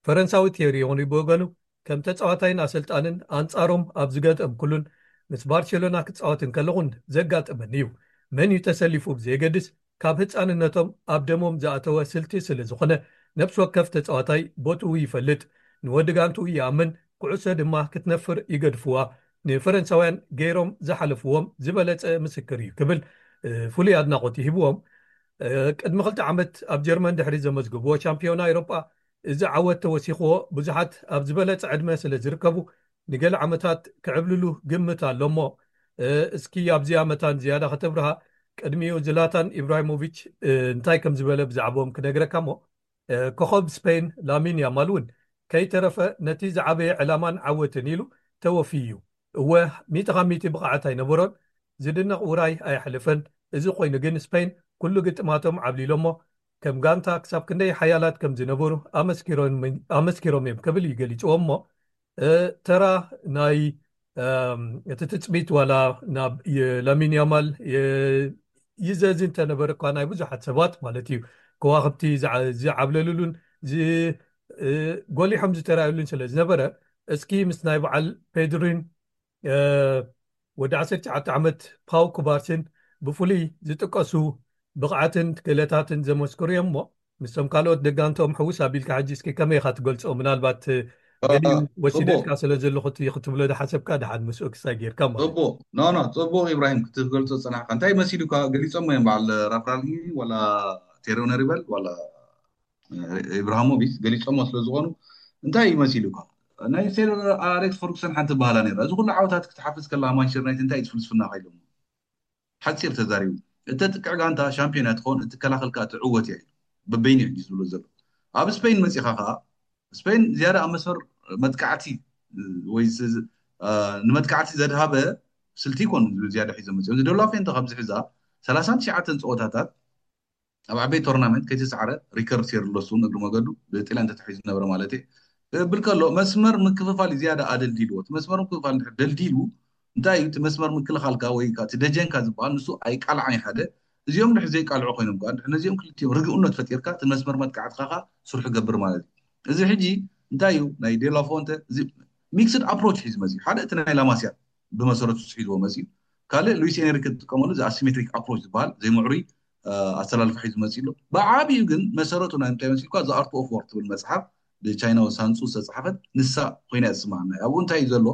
ፈረንሳዊ ቴሪ ሄንሪ ብወገኑ፣ ከም ተጻዋታይን ኣሰልጣንን ኣንጻሮም ኣብ ዝገጠምኩሉን ምስ ባርሴሎና ክጻወት እንከለኹን ዘጋጠመኒ እዩ። መን እዩ ተሰሊፉ ብዘየገድስ፣ ካብ ህጻንነቶም ኣብ ደሞም ዝኣተወ ስልቲ ስለ ዝኾነ፣ ነፍሲ ወከፍ ተጻዋታይ ቦትኡ ይፈልጥ፣ ንወዲ ጋንትኡ ይኣምን፣ ኩዕሶ ድማ ክትነፍር ይገድፍዋ። ንፈረንሳውያን ገይሮም ዝሓለፍዎም ዝበለጸ ምስክር እዩ ክብል፣ እ፣ ፍሉይ ኣድናቖት ይህብዎም። እ፣ ቅድሚ ክልተ ዓመት ኣብ ጀርመን ድሕሪ ዘመዝግብዎ ሻምፒዮና ኤውሮጳ፣ እዚ ዓወት ተወሲኽዎ፣ ብዙሓት ኣብ ዝበለጸ ዕድመ ስለ ዝርከቡ፣ ንገለ ዓመታት ክዕብልሉ ግምት ኣሎ እሞ፣ እ፣ እስኪ ኣብዚኣ መታን ዝያዳ ከተብርሃ። ቅድሚኡ ዝላታን ኢብራሂሞቪች፣ እ፣ እንታይ ከም ዝበለ ብዛዕባኦም ክነግረካ እሞ፣ እ፣ ኮኸብ ስፔን ላሚን ያማል እውን ከይተረፈ ነቲ ዝዓበየ ዕላማን ዓወትን ኢሉ ተወፊዩ እዩ። እወ፣ ሚእቲ ካብ ሚእቲ ብቕዓት ኣይነበሮን፣ ዝድነቕ ውራይ ኣየሕለፈን። እዚ ኮይኑ ግን ስፔን ኩሉ ግጥማቶም ዓብሊሎሞ፣ ከም ጋንታ ክሳብ ክንደይ ሓያላት ከም ዝነበሩ ኣመስኪሮም፣ ኣመስኪሮም እዮም ክብል እዩ ገሊጽዎ እሞ፣ እ፣ ተራ ናይ፣ እም፣ እቲ ትጽቢት ዋላ ናብ የ-፣ ላሚን ያማል የ-፣ ይዘዝ እንተነበረ እኳ ናይ ብዙሓት ሰባት ማለት እዩ፣ ከዋኽብቲ ዝዓ-፣ ዝዓብለሉሉን ዝ-፣ እ፣ ጎሊሖም ዝተራእዩሉን ስለ ዝነበረ፣ እስኪ ምስ ናይ በዓል ፔድሪን፣ እ፣ ወዲ ዓሰርተ ትሽዓተ ዓመት ፓው ኩባርስን ብፍሉይ ዝጥቀሱ ብቕዓትን ክእለታትን ዘመስክሩ እዮም እሞ፣ ምስቶም ካልኦት ደጋንቶም ሕውስ ኣቢልካ ሕጂ እስኪ ከመይ ኢኻ ትገልጾ? ምናልባት፣ እ፣ ገሊኡ እ፣ ወሲደልካ ጽቡቕ። ስለ ዘለኹ እቲ ክትብሎ ዝሓሰብካ ደሓን ምስኡ ክሳይ ጌርካ ማለት እዩ። ጽቡቕ። ኖ፣ ኖ፣ ጽቡቕ ኢብራሂም፣ ክትገልጾ ዝጸናሕካ። እንታይ መሲሉካ? ገሊጾም እዮም በዓል ራፍራልጊ ዋላ ቴሪ ሄንሪ በል ዋላ፣ እ፣ ኢብራሂሞቪች ገሊጾሞ ስለ ዝኾኑ እንታይ እዩ መሲሉካ? ናይ ሰር ኣሌክስ ፈርጉሰን ሓንቲ በሃላ ነይራ። እዚ ኩሉ ዓወታት ክትሓፍዝ ከለኻ ማንቸስተር ዩናይትድ እንታይ እዩ ፍልስፍናኻ ኢሎሞ። ሓጺር ተዛሪቡ፣ እተጥቅዕ ጋንታ ሻምፒዮን እያ ትኸውን፣ እትከላኸል ከኣ ትዕወት እያ ኢሉ። በበይኑ እዩ ዝብሎ ዘሎ። ኣብ ስፔን መጺኻ ከኣ፣ ስፔን ዝያዳ ኣብ መስመር መጥቃዕቲ፣ ወይ ዝ-፣ ዝ-፣ አ፣ ንመጥቃዕቲ ዘድሃበ ስልቲ ይኮኑ ዝያዳ ሒዞም መጺኦም። እዚ ዴላፎንተ ካብዚ ሒዛ ሰላሳን ትሽዓተን ጸወታታት ኣብ ዓበይቲ ቶርናመንት ከይተሳዕረ ሪከርድ ሴር ኣለሱ እግሪ መገዱ ብጥልያን ተታሒዙ ዝነበረ ማለት እዩ። ክብል ከሎ መስመር ምክፍፋል እዩ ዝያዳ ኣደልዲልዎ። እቲ መስመር ምክፍፋል እንድሕር ደልዲሉ እንታይ እዩ? እቲ መስመር ምክልኻልካ ወይ ከዓ እቲ ደጀንካ ዝበሃል ንሱ ኣይቃልዓን እዩ ሓደ። እዚኦም እንድሕር ዘይቃልዑ ኮይኖም ከዓ እንድሕር ነዚኦም ክልቲኦም ርግኡነት ፈጢርካ እቲ መስመር መጥቃዕትኻ ከዓ ስርሑ ገብር ማለት እዩ። እዚ ሕጂ እንታይ እዩ? ናይ ዴላፎንተ እዚ ሚክስድ ኣፕሮች ሒዙ መፅዩ። ሓደ እቲ ናይ ላማሲያ ብመሰረቱ ሒዝዎ መፅዩ። ካልእ ሉዊስ ኤንሪክ ዝጥቀመሉ እዚ ኣሲሜትሪክ ኣፕሮች ዝበሃል ዘይምዕሩይ፣ እ፣ ኣሰላልፋ ሒዙ መፅዩ ኣሎ። ብዓብዩ ግን መሰረቱ ናይ ምንታይ መሲልኳ? The Art of War ትብል መፅሓፍ ብቻይናዊ ሳንሱ ዝተፅሓፈት ንሳ ኮይና እያ ዝስማዓና። ኣብኡ እንታይ እዩ ዘሎ?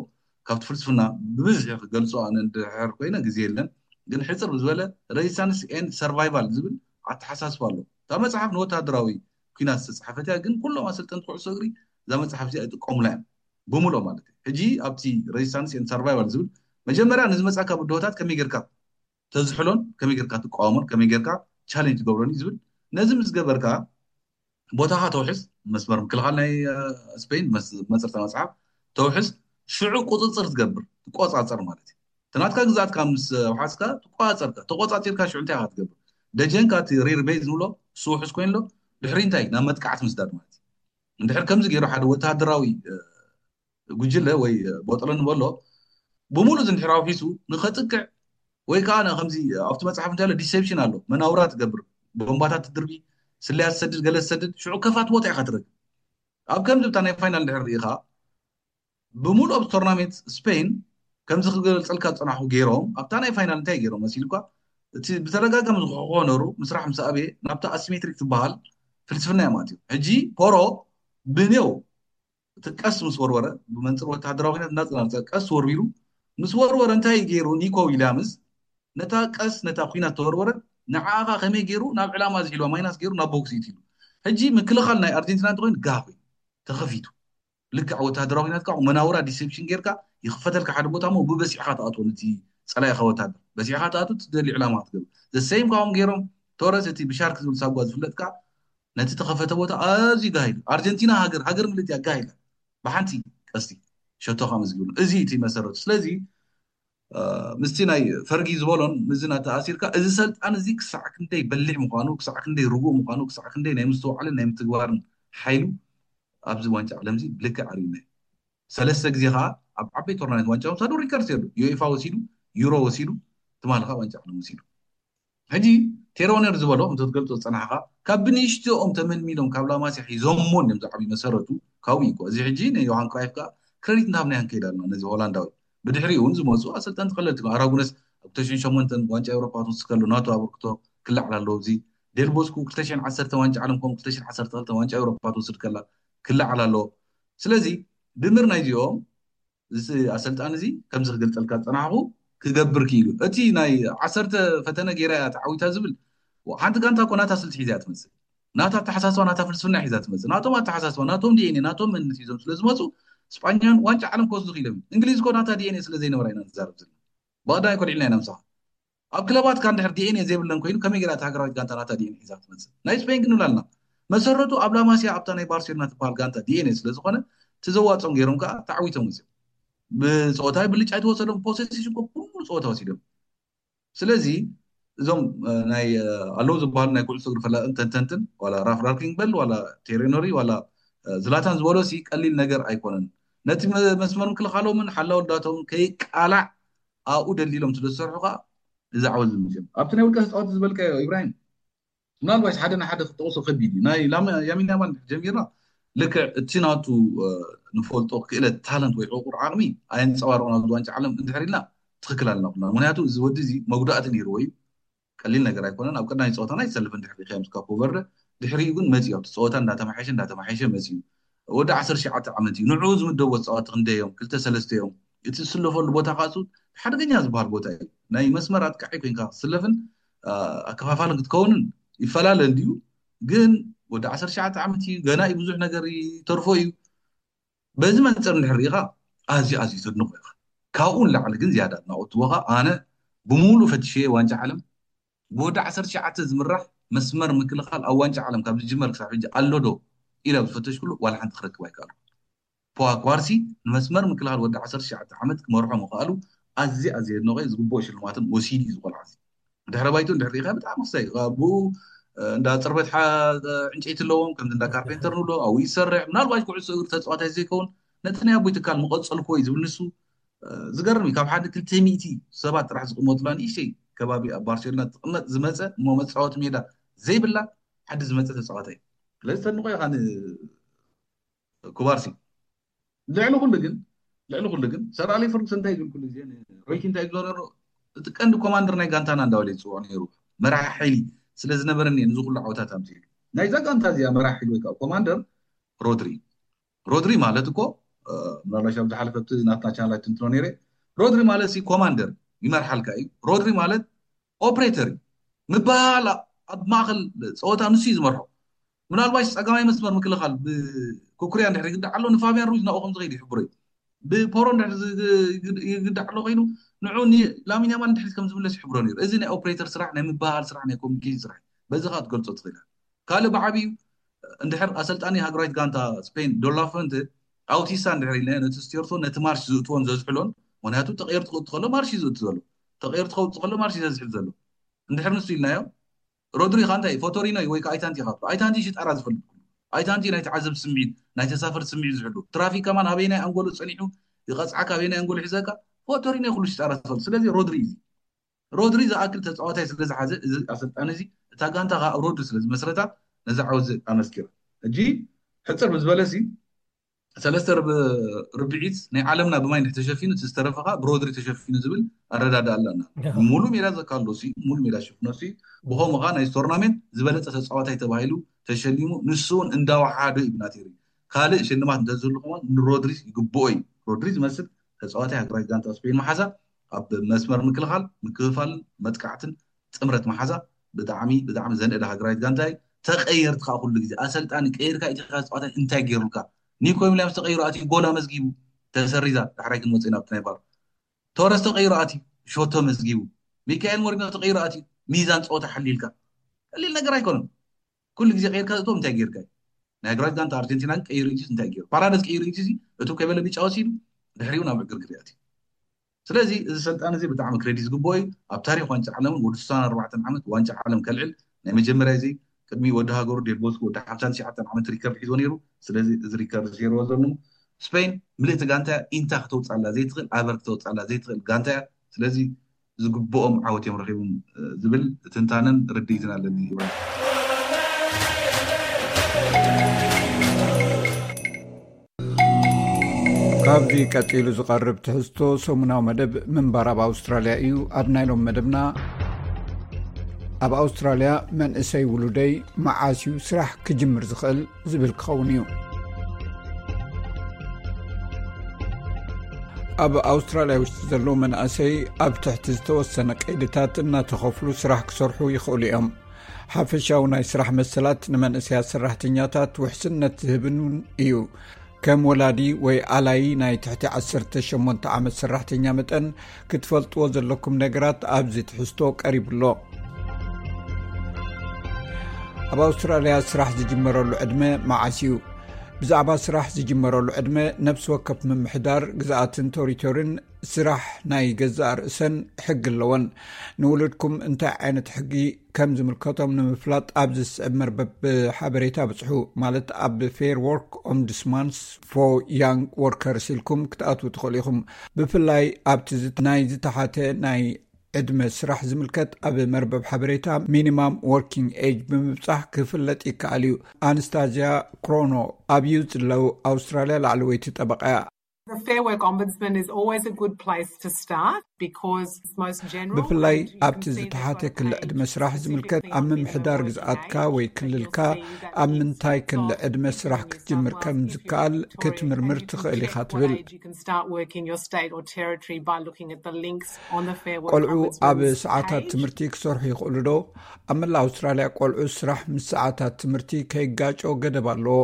ካብቲ ፍልስፍና ብብዝሒ ክገልጾ ኣነ እንድሕር ኮይነ ግዜ የለን፣ ግን ሕፅር ብዝበለ ሬዚስታንስ ኤንድ ሰርቫይቫል ዝብል ኣተሓሳስባ ኣሎ። እታ መፅሓፍ ንወታደራዊ ኲናት ዝተፅሓፈት እያ፣ ግን ኩሎም ኣሰልጠንቲ ኩዕሶ እግሪ እዛ መፅሓፍ እዚኣ ይጥቀሙላ እዮም፣ ብምልኦ ማለት እዩ። ሕጂ ኣብቲ ሬዚስታንስ ኤንድ ሰርቫይቫል ዝብል መጀመርያ ንዝመፃካ ብድሆታት ከመይ ጌርካ ተዝሕሎን ከመይ ጌርካ ትቃወሞን ከመይ ጌርካ ቻሌንጅ ትገብሮን እዩ ዝብል። ነዚ ምስ ገበርካ ቦታኻ ተውሕስ፣ መስመር ምክልኻል ናይ፣ እ፣ ስፔን መስ-፣ መፅርታ መፅሓፍ ተውሕስ፣ ሽዑ ቁፅፅር ትገብር፣ ትቆፃፀር ማለት እዩ። እቲ ናትካ ግዝኣትካ ምስ ኣውሓስካ ትቆፃፀርካ፣ ተቆፃፂርካ ሽዑ እንታይ ኢኻ ትገብር? ደጀንካ እቲ ሪር ቤዝ ንብሎ እሱ ውሑስ ኮይኑ ኣሎ፣ ድሕሪ እንታይ ናብ መጥቃዕቲ ምስዳድ ማለት እዩ። እንድሕር ከምዚ ገይሩ ሓደ ወተሃደራዊ፣ እ፣ ጉጅለ ወይ ቦጠሎ ንበሎ ብምሉእ እዚ እንድሕር ኣውሒሱ ንኸጥቅዕ ወይ ከዓ ን-፣ ከምዚ ኣብቲ መፅሓፍ እንታይ ኣሎ ዲሴፕሽን ኣሎ፣ መናውራ ትገብር፣ ቦምባታት ትድርቢ፣ ስለያ ትሰድድ፣ ገለ ትሰድድ፣ ሽዑ ከፋት ቦታ ኢኻ ትረክብ። ኣብ ከምዚ ብታ ናይ ፋይናል እንድሕር ርኢኻ ብምሉእ ኣብ ቶርናሜንት ስፔን ከምዚ ክገልፀልካ ዝፀናሕኩ ገይሮም ኣብታ ናይ ፋይናል እንታይ ገይሮም መሲልኳ? እቲ ብተደጋጋሚ ዝኮነሩ ምስራሕ ምስ ኣበየ ናብታ ኣሲሜትሪክ ትበሃል ፍልስፍና እዮም ኣትዮም። ሕጂ ፖሮ ብኔው እቲ ቀስ ምስ ወርወረ ብመንፅር ወታደራዊ ኩናት እናፀናፀ ቀስ ወርዊሩ ምስ ወርወረ እንታይ ገይሩ? ኒኮ ዊልያምስ ነታ ቀስ ነታ ኩናት ተወርወረ ንዓኻ ከመይ ገይሩ ናብ ዕላማ ዝሒልዋ ማይናስ ገይሩ ናብ ቦክስ ይትሉ። ሕጂ ምክልኻል ናይ ኣርጀንቲና እንተኮይኑ ጋህ ኮይኑ ተኸፊቱ ልክዕ ወታደራዊ ኩናት ከዓ መናውራ ዲሴፕሽን ጌርካ ይኽፈተልካ ሓደ ቦታ ሞ ብበሲዕካ ትኣትዎ ነቲ ፀላኢኻ ወታደር በሲዕካ ትኣቱ ትደልዩ ዕላማ ክትገብር ዘሰይም ካብኦም ገይሮም ቶረስ እቲ ብሻርክ ዝብል ሳጓ ዝፍለጥ ከዓ ነቲ ተኸፈተ ቦታ ኣዝዩ ጋሂሉ ኣርጀንቲና ሃገር ሃገር ምልእቲ ኣጋሂላ ብሓንቲ ቀስቲ ሸቶኻ መዝግብሉ እዚ እቲ መሰረቱ ስለዚ ምስቲ ናይ ፈርጊ ዝበሎን ምዚ ናተኣሲርካ እዚ ሰልጣን እዚ ክሳዕ ክንደይ በሊሕ ምኳኑ ክሳዕ ክንደይ ርጉእ ምኳኑ ክሳዕ ክንደይ ናይ ምስትውዓልን ናይ ምትግባርን ሓይሉ ኣብዚ ዋንጫ ዓለም እዚ ብልክዕ ኣርእዩና እዩ ሰለስተ ግዜ ከዓ ኣብ ዓበይ ቶርናመንት ዋንጫ ወሳዱ ሪከርድ የሉ ዩኤፋ ወሲዱ ዩሮ ወሲዱ ትማሊ ከዓ ዋንጫ ዓለም ወሲዱ ሕጂ ቴሮነር ዝበሎ እንተትገልፆ ዝፀናሕካ ካብ ብንእሽትኦም ተመልሚሎም ካብ ላማስያ ሒዞሞ እዮም ዝዓብዩ መሰረቱ ካብኡ እዩ እዚ ሕጂ ንዮሃን ክራይፍ ከዓ ክረዲት እንዳሃብና ክንከይድ ኣለና ነዚ ሆላንዳዊ ብድሕሪኡ እውን ዝመፁ ኣሰልጠንቲ ቀለልቲ ኣራጉነስ ኣብ ክልተ ሽሕን ሸሞንተን ዋንጫ ኤውሮፓ ትወስድ ከሎ ናቱ ኣበርክቶ ክላዓል ኣለዎ እዚ ዴልቦስኩ ክልተ ሽሕን ዓሰርተ ዋንጫ ዓለም ከምኡ ክልተ ሽሕን ዓሰርተ ክልተ ዋንጫ ኤውሮፓ ትወስድ ከላ ክላዓል ኣለዎ ስለዚ ድምር ናይዚኦም እዚ ኣሰልጣኒ እዚ ከምዚ ክገልፀልካ ዝፀናሕኩ ክገብር ክኢሉ እቲ ናይ ዓሰርተ ፈተነ ገይራ እያ ተዓዊታ ዝብል ሓንቲ ጋንታ እኮ ናታ ስልቲ ሒዛ እያ ትመፅእ ናታ ኣተሓሳስባ ናታ ፍልስፍና ሒዛ ትመፅእ ናቶም ኣተሓሳስባ ናቶም ዲኤንኤ ናቶም መንነት ሒዞም ስለ ዝመፁ ስጳኛን ዋንጫ ዓለም ክወስዱ ክኢሎም እንግሊዝ እኮ ናታ ዲኤንኤ ስለ ዘይነበራ ኢና ንዛረብ ዘለና ብቐዳማይ ኮልዒልና ኢና ምሳኻ ኣብ ክለባትካ እንድሕር ዲኤንኤ ዘይብለን ኮይኑ ከመይ ገይራ እታ ሃገራዊት ጋንታ ናታ ዲኤንኤ ሒዛ ክትመፅእ ናይ ስፔን ግን ንብላ ኣለና መሰረቱ ኣብ ላማሲያ ኣብታ ናይ ባርሴሎና ትበሃል ጋንታ ዲኤንኤ ስለ ዝኾነ እቲ ዘዋፅኦም ገይሮም ከዓ ተዓዊቶም መፅኦም ብፀወታ ብልጫ ኣይተወሰዶም ፖሴሽን እኮ ኩሉ ፀወታ ወሲዶም ስለዚ እዞም ናይ ኣለዉ ዝበሃሉ ናይ ኩዕሶ እግሪ ፈላጥን ተንተንትን ዋላ ራፍ ራንኪንግ በል ዋላ ቴሬኖሪ ዋላ ዝላታን ዝበሎ ሲ ቀሊል ነገር ኣይኮነን ነቲ መስመር ምክልኻሎምን ሓላውልዳቶምን ከይቃላዕ ኣብኡ ደልዲሎም ስለ ዝሰርሑ ከዓ እዚ ዓወት ዝምፅኦም ኣብቲ ናይ ውልቀ ተፃወቲ ዝበልካዮ ኢብራሂም ምናልባሽ ሓደ ንሓደ ክጠቕሶ ከቢድ እዩ ናይ ያሚን ያማል ጀሚርና ልክዕ እቲ ናቱ ንፈልጦ ክእለት ታለንት ወይ ዕቁር ዓቕሚ ኣየንፀባርቑ ናብ ዋንጫ ዓለም እንድሕር ኢልና ትኽክል ኣለና ኩልና ምክንያቱ እዚ ወዲ እዚ መጉዳእቲ ነይርዎ እዩ ቀሊል ነገር ኣይኮነን ኣብ ቀዳማይ ፀወታና ይሰልፍ እንድሕር ሪካዮ ምስ ካፖ ቨርደ ድሕሪኡ ግን መፅዩ ኣብቲ ፀወታ እንዳተማሓየሸ እንዳተማሓየሸ መፅዩ ወዲ ዓሰርተ ትሽዓተ ዓመት እዩ ንዕኡ ዝምደቦ ተፃወቲ ክንደዮም ክልተ ሰለስተ እዮም እቲ ዝስለፈሉ ቦታ ካሱ ሓደገኛ ዝበሃል ቦታ እዩ ናይ መስመር ኣጥቃዒ ኮይንካ ክትስለፍን ኣከፋፋልን ክትከውንን ይፈላለ እንድዩ ግን ወዲ ዓሰርተ ትሽዓተ ዓመት እዩ ገና እዩ ብዙሕ ነገር ይተርፎ እዩ በዚ መንፅር እንድሕር ሪኢኻ ኣዝዩ ኣዝዩ ዘድንቆ ኢኻ ካብኡ ንላዕሊ ግን ዝያዳ ኣድናቆት ትቦኻ ኣነ ብሙሉእ ፈትሸየ ዋንጫ ዓለም ብወዲ ዓሰርተ ትሽዓተ ዝምራሕ መስመር ምክልኻል ኣብ ዋንጫ ዓለም ካብ ዝጅመር ክሳብ ሕጂ ኣሎ ዶ ኢለ ኣብ ዝፈተሽኩሉ ዋላ ሓንቲ ክረክብ ኣይከኣልኩ። ፖዋ ኳርሲ ንመስመር ምክልኻል ወዲ ዓሰርተ ትሽዓተ ዓመት ክመርሖ ምኽኣሉ ኣዝየ ኣዝየ የድንቖ እየ። ዝግብኦ ሽልማትን ወሲዱ እዩ እዚ ቆልዓ እዚ። ድሕረ ባይትኡ እንድሕር ርኢኻዮ ብጣዕሚ ክስታይ እዩ። ኣቦኡ እንዳ ፅርበት ዕንጨይቲ ኣለዎም፣ ከምዚ እንዳ ካርፔንተር ንብሎ ኣብኡ ይሰርሕ። ምናልባት ኩዕሶ እግሪ ተፃዋታይ ዘይከውን ነቲ ናይ ኣቦይ ትካል ምቐፀልኩዎ እዩ ዝብል ንሱ። ዝገርም እዩ። ካብ ሓደ ክልተ ሚእቲ ሰባት ጥራሕ ዝቕመጡላ ንእሽተይ ከባቢ ኣብ ባርሴሎና ትቕመጥ ዝመፀ እሞ መፃወቲ ሜዳ ዘይብላ ዓዲ ዝመፀ ተፃዋታይ እዩ። ስለዚ ተድንቖ ኢኻ ንኩባርሲ። ልዕሊ ኩሉ ግን ልዕሊ ኩሉ ግን ሰር ኣሌክስ ፈርጉሰን እንታይ ዝብል ኩሉ ግዜ ንሮይቲ እንታይ ዝብሎ ነሩ እቲ ቀንዲ ኮማንደር ናይ ጋንታና እንዳበለ ይፅውዖ ነይሩ። መራሒ ሓይሊ ስለ ዝነበረኒ እየ ንዚ ኩሉ ዓወታት ኣምፅኡ። ናይዛ ጋንታ እዚኣ መራሒ ሓይሊ ወይ ከዓ ኮማንደር ሮድሪ። ሮድሪ ማለት እኮ ምናልባሽ ኣብ ዝሓለፈ ኣብቲ ናትና ቻናል ኣይትንትኖ ነይረ። ሮድሪ ማለት ሲ ኮማንደር ይመርሓልካ እዩ። ሮድሪ ማለት ኦፕሬተር እዩ። ምባል ኣብ ማእኸል ፀወታ ንሱ እዩ ዝመርሖ። ምናልባሽ ፀጋማይ መስመር ምክልኻል ብኩኩሪያ እንድሕር ይግዳዕ ኣሎ ንፋቢያን ሩዝ ናብኡ ከም ዝኸይድ ይሕብሮ እዩ። ብፖሮ እንድሕር ይግዳዕ ኣሎ ኮይኑ ንዑ ላሚን ያማል እንድሕር ከም ዝምለስ ይሕብሮ ነይሩ። እዚ ናይ ኦፕሬተር ስራሕ ናይ ምባሃል ስራሕ ናይ ኮሚኒኬሽን ስራሕ እዩ። በዚ ከዓ ትገልፆ ትኽእል ካልእ ብዓብዩ እንድሕር ኣሰልጣኒ ሃገራዊት ጋንታ ስፔን ዶላ ፎንተ ኣውቲስታ እንድሕር ኢልና ነቲ ስቴርቶን ነቲ ማርሽ ዝእትዎን ዘዝሕሎን ምክንያቱ ተቐየርቲ ክእቱ ከሎ ማርሽ እዩ ዝእቱ ዘሎ ተቐየርቲ ከውፅእ ከሎ ማርሽ እዩ ዘዝሕል ዘሎ እንድሕር ንሱ ኢልናዮ ሮድሪ ኻ እንታይ ፎቶሪኖ እዩ ወይ ከዓ ኣይታንቲ ኻ ኣይታንቲ ሽጣራ ዝፈልጥ ኣይታንቲ ናይ ተዓዘብ ስምዒት ናይ ተሳፈር ስምዒት ዝሕሉ ትራፊክ ከማን ኣበይናይ ኣንጎሎ ፀኒሑ ይቐፅዓካ ኣበይናይ ኣንጎሎ ሒዘካ ፎቶሪኖ ኩሉ ሽጣራ ዝፈልጥ ስለዚ ሮድሪ እዩ ሮድሪ ዝኣክል ተፃዋታይ ስለ ዝሓዘ እዚ ኣሰልጣኒ እዚ እታ ጋንታ ከዓ ሮድሪ ስለ ዝመስረታ ነዚ ዓወት እዚ ኣመስኪራ። ሕጂ ሕፅር ብዝበለ ሲ ሰለስተ ርብ- ርብዒት ናይ ዓለምና ብማይ እንድሕር ተሸፊኑ፣ እቲ ዝተረፈ ከዓ ብሮድሪ ተሸፊኑ ዝብል ኣረዳድኣ ኣለና። ሙሉ ሜዳ ዘካሎ ሲ ሙሉ ሜዳ ሽፍኖ ሲ ብኸምኡ ከዓ ናይ ቶርናሜንት ዝበለፀ ተፃዋታይ ተባሂሉ ተሸሊሙ። ንሱ እውን እንዳወሓዶ እዩ ብናቴሪ ካልእ ሽልማት እንተዝህሉ ከማን ንሮድሪስ ይግብኦ እዩ። ሮድሪ ዝመስል ተፃዋታይ ሃገራዊት ጋንታ ስፔን መሓዛ ኣብ መስመር ምክልኻል፣ ምክፍፋልን መጥቃዕትን ጥምረት መሓዛ ብጣዕሚ ብጣዕሚ ዘንእድ ሃገራዊት ጋንታ እዩ። ተቀየርቲ ከዓ ኩሉ ግዜ ኣሰልጣኒ ቀይርካ ኢኻ ተፃዋታይ እንታይ ገይሩልካ? ኒኮ ዊሊያምስ ተቀይሩ ኣትዩ ጎል ኣመዝጊቡ፣ ተሰሪዛ። ዳሕራይ ክንመፅእ ኢና ኣብቲ ናይ ቫር። ቶረስ ተቀይሩ ኣትዩ ሾቶ መዝጊቡ። ሚካኤል ሞሪኖ ተቀይሩ ኣትዩ ሚዛን ፀወታ ሓሊልካ። ቀሊል ነገር ኣይኮነን። ኩሉ ግዜ ቀይርካ ዝእቶም እንታይ ገይርካ እዩ? ናይ ሃገራዊት ጋንታ ኣርጀንቲና ግን ቀይሩ ኢትዩስ እንታይ ገይሩ? ፓራደስ ቀይሩ ኢትዩስ እቱ ከይበለ ቢጫ ወሲዱ ድሕሪኡ ናብ ዕግርግር ኣትዩ። ስለዚ እዚ ሰልጣን እዚ ብጣዕሚ ክሬዲት ዝግብኦ እዩ። ኣብ ታሪክ ዋንጫ ዓለም እውን ወዲ ስሳን ኣርባዕተን ዓመት ዋንጫ ዓለም ከልዕል ናይ መጀመርያ እዚ ቅድሚ ወዲ ሃገሩ ዴል ቦስኮ ወዲ ሓምሳን ትሽዓተን ዓመት ሪከርድ ሒዞ ነይሩ። ስለዚ እዚ ሪከርድ ሰይርዎ ዘሎ ስፔን ምልእቲ ጋንታ እያ። ኢንታ ክተውፃላ ዘይትኽእል፣ ኣበር ክተውፃላ ዘይትኽእል ጋንታ እያ። ስለዚ ዝግብኦም ዓወት እዮም ረኺቦም ዝብል ትንታነን ርድኢትን ኣለኒ። ኢብራሂም። ካብዚ ቀጺሉ ዝቐርብ ትሕዝቶ ሰሙናዊ መደብ ምንባር ኣብ ኣውስትራልያ እዩ። ኣብ ናይ ሎም መደብና፣ ኣብ ኣውስትራልያ መንእሰይ ውሉደይ መዓስ እዩ ስራሕ ክጅምር ዝኽእል ዝብል ክኸውን እዩ። ኣብ ኣውስትራልያ ውሽጢ ዘለዉ መናእሰይ ኣብ ትሕቲ ዝተወሰነ ቀይድታት እናተኸፍሉ ስራሕ ክሰርሑ ይኽእሉ እዮም። ሓፈሻዊ ናይ ስራሕ መሰላት ንመንእሰያት ሰራሕተኛታት ውሕስነት ዝህብን እውን እዩ። ከም ወላዲ ወይ ኣላይ ናይ ትሕቲ ዓሰርተ ሸሞንተ ዓመት ሰራሕተኛ መጠን ክትፈልጥዎ ዘለኩም ነገራት ኣብዚ ትሕዝቶ ቀሪቡ ኣሎ። ኣብ ኣውስትራልያ ስራሕ ዝጅመረሉ ዕድመ መዓስ እዩ? ብዛዕባ ስራሕ ዝጅመረሉ ዕድመ ነፍሲ ወከፍ ምምሕዳር ግዝኣትን ቶሪቶርን ስራሕ ናይ ገዛእ ርእሰን ሕጊ ኣለወን። ንውሉድኩም እንታይ ዓይነት ሕጊ ከም ዝምልከቶም ንምፍላጥ ኣብዚ ዝስዕብ መርበብ ሓበሬታ ብጽሑ፣ ማለት ኣብ Fair Work Ombudsman's for Young Workers ኢልኩም ክትኣትዉ ትኽእሉ ኢኹም። ብፍላይ ኣብቲ ዝት- ናይ ዝተሓተ ናይ ዕድመ ስራሕ ዝምልከት ኣብ መርበብ ሓበሬታ ሚኒማም ወርኪንግ ኤጅ ብምብጻሕ ክፍለጥ ይከኣል እዩ። ኣንስታዝያ ክሮኖ ኣብ ዩዝ ሎው ኣውስትራልያ ላዕለወይቲ ጠበቃ እያ። The Fair Work Ombudsman is always a good place to start because it's most general. ብፍላይ ኣብቲ ዝተሓተ ክሊ ዕድመ ስራሕ ዝምልከት ኣብ ምምሕዳር ግዝኣትካ ወይ ክልልካ ኣብ ምንታይ ክሊ ዕድመ ስራሕ ክትጅምር ከም ዝከኣል ክትምርምር ትኽእል ኢኻ ትብል። You can start work in your state or territory by looking at the links on the Fair Work ቆልዑ ኣብ Ombudsman's ሰዓታት page. ትምህርቲ ክሰርሑ ይኽእሉ ዶ? ኣብ መላእ ኣውስትራልያ ቆልዑ ስራሕ ምስ ሰዓታት ትምህርቲ ከይጋጮ ገደብ ኣለዎ።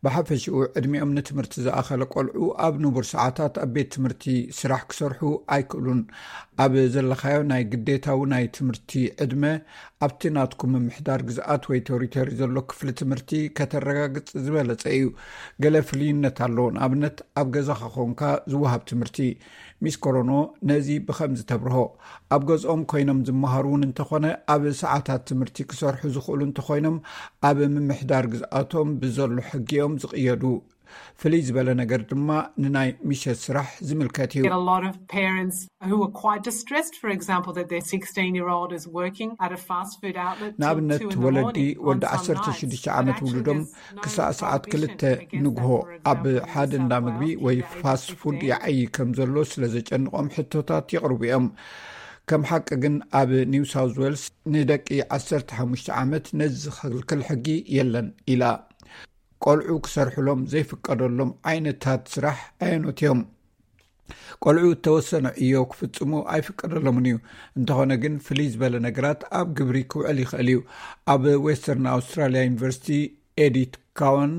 ብሓፈሽኡ ዕድሚኦም ንትምህርቲ ዝኣኸለ ቆልዑ ኣብ ንቡር ሰዓታት ኣብ ቤት ትምህርቲ ስራሕ ክሰርሑ ኣይክእሉን። ኣብ ዘለኻዮ ናይ ግዴታዊ ናይ ትምህርቲ ዕድመ ኣብቲ ናትኩም ምምሕዳር ግዝኣት ወይ ቴሪቶሪ ዘሎ ክፍሊ ትምህርቲ ከተረጋግጽ ዝበለጸ እዩ። ገለ ፍልይነት ኣሎ። ንኣብነት ኣብ ገዛኻ ኮንካ ዝወሃብ ትምህርቲ። ሚስ ኮሮኖ ነዚ ብኸምዚ ተብርሆ። ኣብ ገዝኦም ኮይኖም ዝመሃሩ እውን እንተኾነ ኣብ ሰዓታት ትምህርቲ ክሰርሑ ዝኽእሉ እንተኾይኖም ኣብ ምምሕዳር ግዝኣቶም ብዘሎ ሕጊ እዮም ዝቕየዱ። ፍልይ ዝበለ ነገር ድማ ንናይ ምሸት ስራሕ ዝምልከት እዩ። Get a lot of parents who are quite distressed, for example, that their sixteen year old is working at a fast food outlet till ንኣብነት two in the ወለዲ morning on ወዲ some ዓሰርተ nights. ሽዱሽተ But ዓመት actually ውሉዶም there's no ክሳዕ ሰዓት prohibition ክልተ against that, ንግሆ for ኣብ example, in New ሓደ South እንዳ ምግቢ Wales, ወይ the age of ፋስት ፉድ fifteen. ይዓዪ ከም ዘሎ ስለ ዘጨንቖም ሕቶታት የቕርቡ እዮም። ከም ሓቂ ግን ኣብ ኒው ሳውዝ ዌልስ ንደቂ ዓሰርተ ሓሙሽተ ዓመት ነዚ ዝኸልክል ሕጊ የለን ኢላ። ቆልዑ ክሰርሕሎም ዘይፍቀደሎም ዓይነታት ስራሕ ኣየኖት እዮም? ቆልዑ እተወሰነ ዕዮ ክፍጽሙ ኣይፍቀደሎምን እዩ። እንተኾነ ግን ፍልይ ዝበለ ነገራት ኣብ ግብሪ ክውዕል ይኽእል እዩ። ኣብ ዌስተርን ኣውስትራልያ ዩኒቨርሲቲ ኤዲት ካዋን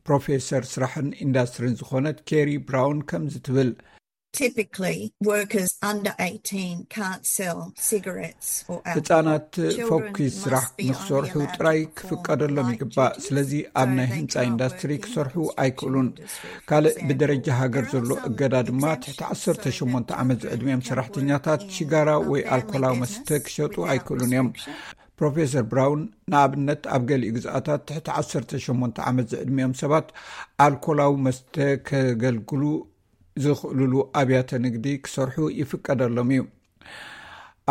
ፕሮፌሰር ስራሕን ኢንዳስትሪን ዝኾነት ኬሪ ብራውን ከምዚ ትብል። Typically, workers under eighteen can't sell cigarettes or alcohol. ህጻናት ፎኪስ ስራሕ ንክሰርሑ ጥራይ ክፍቀደሎም ይግባእ። ስለዚ ኣብ ናይ ህንፃ ኢንዳስትሪ ክሰርሑ ኣይክእሉን። ካልእ ብደረጃ ሃገር ዘሎ እገዳ ድማ ትሕቲ ዓሰርተ ሸሞንተ ዓመት ዝዕድሚኦም ሰራሕተኛታት ሽጋራ ወይ ኣልኮላዊ መስተ ክሸጡ ኣይክእሉን እዮም። ፕሮፌሰር ብራውን ንኣብነት ኣብ ገሊኡ ግዝኣታት ትሕቲ ዓሰርተ ሸሞንተ ዓመት ዝዕድሚኦም ሰባት ኣልኮላዊ መስተ ከገልግሉ ዝኽእሉሉ ኣብያተ ንግዲ ክሰርሑ ይፍቀደሎም እዩ።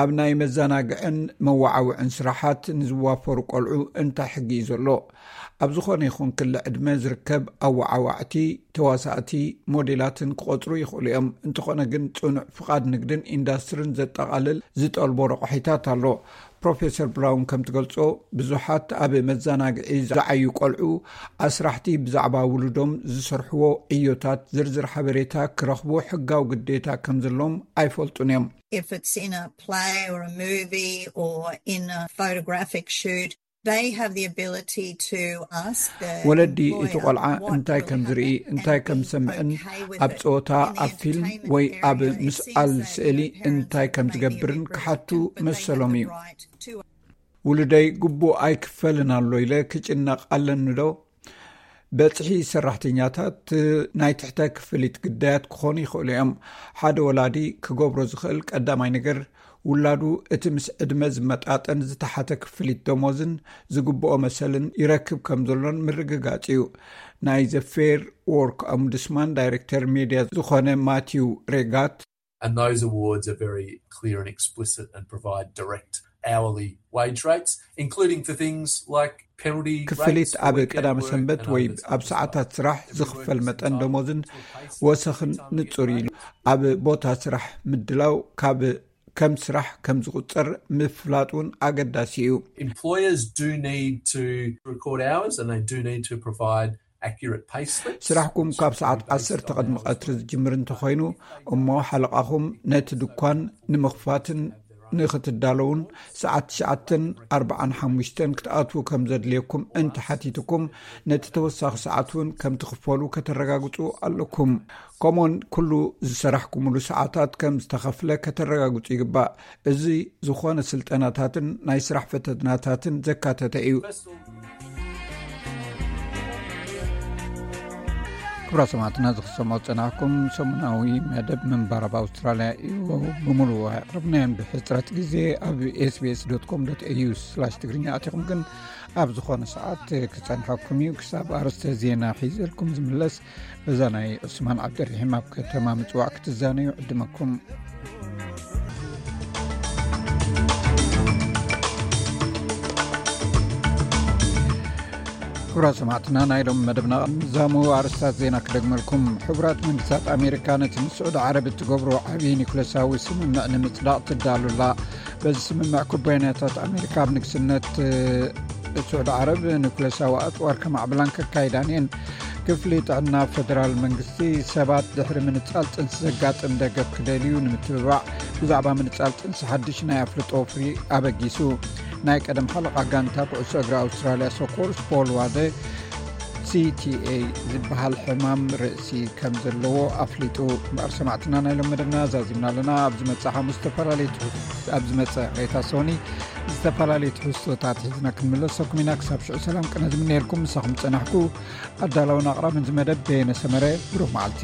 ኣብ ናይ መዘናግዕን መወዓውዕን ስራሓት ንዝዋፈሩ ቆልዑ እንታይ ሕጊ እዩ ዘሎ? ኣብ ዝኾነ ይኹን ክሊ ዕድመ ዝርከብ ኣወዓዋዕቲ፣ ተዋሳእቲ፣ ሞዴላትን ክቆጽሩ ይኽእሉ እዮም። እንተኾነ ግን ጽኑዕ ፍቓድ ንግድን ኢንዳስትርን ዘጠቓልል ዝጠልቦ ረቑሒታት ኣሎ። ፕሮፌሰር ብራውን ከም ትገልጾ፣ ብዙሓት ኣብ መዘናግዒ ዝዓዩ ቆልዑ ኣስራሕቲ ብዛዕባ ውሉዶም ዝሰርሕዎ ዕዮታት ዝርዝር ሓበሬታ ክረኽቡ ሕጋዊ ግዴታ ከም ዘለዎም ኣይፈልጡን እዮም። If it's in a play or a movie or in a photographic shoot, they have the ability to ask the ወለዲ እቲ employer ቆልዓ what እንታይ ከም really ዝርኢ happened እንታይ and ከም be ዝሰምዕን okay with ኣብ it. ጸወታ In the ኣብ ፊልም entertainment ወይ ኣብ area, it ምስኣል seems that, ስእሊ you know, parents እንታይ have ከም maybe a ዝገብርን bit ክሓቱ protective, but they have መሰሎም the እዩ። Right to ውሉደይ ግቡእ ኣይክፈልን ኣሎ ኢለ ክጭነቕ ኣለኒ ዶ? በጽሒ ሰራሕተኛታት ናይ ትሕተ ክፍሊት ግዳያት ክኾኑ ይኽእሉ እዮም። ሓደ ወላዲ ክገብሮ ዝኽእል ቀዳማይ ነገር፣ ውላዱ እቲ ምስ ዕድመ ዝመጣጠን ዝተሓተ ክፍሊት ደሞዝን ዝግብኦ መሰልን ይረክብ ከም ዘሎን ምርግጋጽ እዩ። ናይ ዘ ፌር ዎርክ ኦምቡድስማን ዳይሬክተር ሜድያ ዝኾነ ማቲው ሬጋት፣ And those awards are very clear and explicit and provide direct hourly wage rates, including for things like penalty ክፍሊት rates ኣብ for weekend ቀዳሚ work ሰንበት and ወይ others. ኣብ ሰዓታት ስራሕ ዝኽፈል መጠን ደሞዝን ወሰኽን ንጹር እዩ። ኣብ ቦታ ስራሕ ምድላው፣ ካብ ከም ስራሕ ከም ዝቑጸር ምፍላጥ እውን ኣገዳሲ እዩ። Employers do need to record hours and they do need to provide accurate pay slips. ስራሕኩም ካብ ሰዓት ዓሰርተ ቅድሚ ቀትሪ ዝጅምር እንተኾይኑ፣ እሞ ሓለቓኹም ነቲ ድኳን ንምኽፋትን ንኽትዳለውን ሰዓት ትሽዓተን ኣርባዓን ሓሙሽተን ክትኣትዉ ከም ዘድልየኩም እንተሓቲትኩም፣ ነቲ ተወሳኺ ሰዓት እውን ከም ትኽፈሉ ከተረጋግጹ ኣለኩም። ከምኡውን ኩሉ ዝሰራሕኩምሉ ሰዓታት ከም ዝተኸፍለ ከተረጋግጹ ይግባእ። እዚ ዝኾነ ስልጠናታትን ናይ ስራሕ ፈተናታትን ዘካተተ እዩ። ክቡራት ሰማዕትና፣ ዝኽሰሞ ዝጸናሕኩም ሰሙናዊ መደብ ምንባር ኣብ ኣውስትራልያ እዩ። ብምሉእ ኣቕርብናዮን ብሕጽረት ግዜ ኣብ ኤስቢኤስ ዶት ኮም ዶት ኤዩ ስላሽ ትግርኛ ኣቲኹም ግን ኣብ ዝኾነ ሰዓት ክጸንሐኩም እዩ። ክሳብ ኣርእስተ ዜና ሒዘልኩም ዝምለስ፣ በዛ ናይ ዑስማን ዓብደርሒም ኣብ ከተማ ምጽዋዕ ክትዛነዩ ዕድመኩም። ክቡራት ሰማዕትና፣ ናይ ሎም መደብና ምዛሙ ኣርስታት ዜና ክደግመልኩም። ሕቡራት መንግስታት ኣሜሪካ ነቲ ምስ ስዑዲ ዓረብ እትገብሮ ዓብዪ ኒኩለሳዊ ስምምዕ ንምጽዳቕ ትዳሉላ። በዚ ስምምዕ ኩባንያታት ኣሜሪካ ኣብ ንግስነት ስዑዲ ዓረብ ኒኩለሳዊ ኣጽዋር ከማዕብላን ከካይዳን እየን። ክፍሊ ጥዕና ፈደራል መንግስቲ ሰባት ድሕሪ ምንጻል ጥንሲ ዘጋጥም ደገፍ ክደልዩ ንምትብባዕ ብዛዕባ ምንጻል ጥንሲ ሓድሽ ናይ ኣፍልጦ ወፍሪ ኣበጊሱ። ናይ ቀደም ሓለቓ ጋንታ ኩዕሶ እግሪ ኣውስትራልያ ሶኮርስ ፖል ዋደ ሲቲኤ ዝበሃል ሕማም ርእሲ ከም ዘለዎ ኣፍሊጡ። እምበኣር ሰማዕትና፣ ናይ ሎም መደብና ዛዚምና ኣለና። ኣብ ዝመጽእ ሓሙስ ዝተፈላለዩ ትሕዝ-፣ ኣብ ዝመጽእ ሬታ ሶኒ ዝተፈላለዩ ትሕዝቶታት ሒዝና ክንምለሰኩም ኢና። ክሳብ ሽዑ ሰላም ቅነ ዝምነየልኩም። ምሳኹም ጸናሕኩ ኣዳላውን ኣቕራብን ዝመደብ በየነ ሰመረ። ብሩኽ መዓልቲ።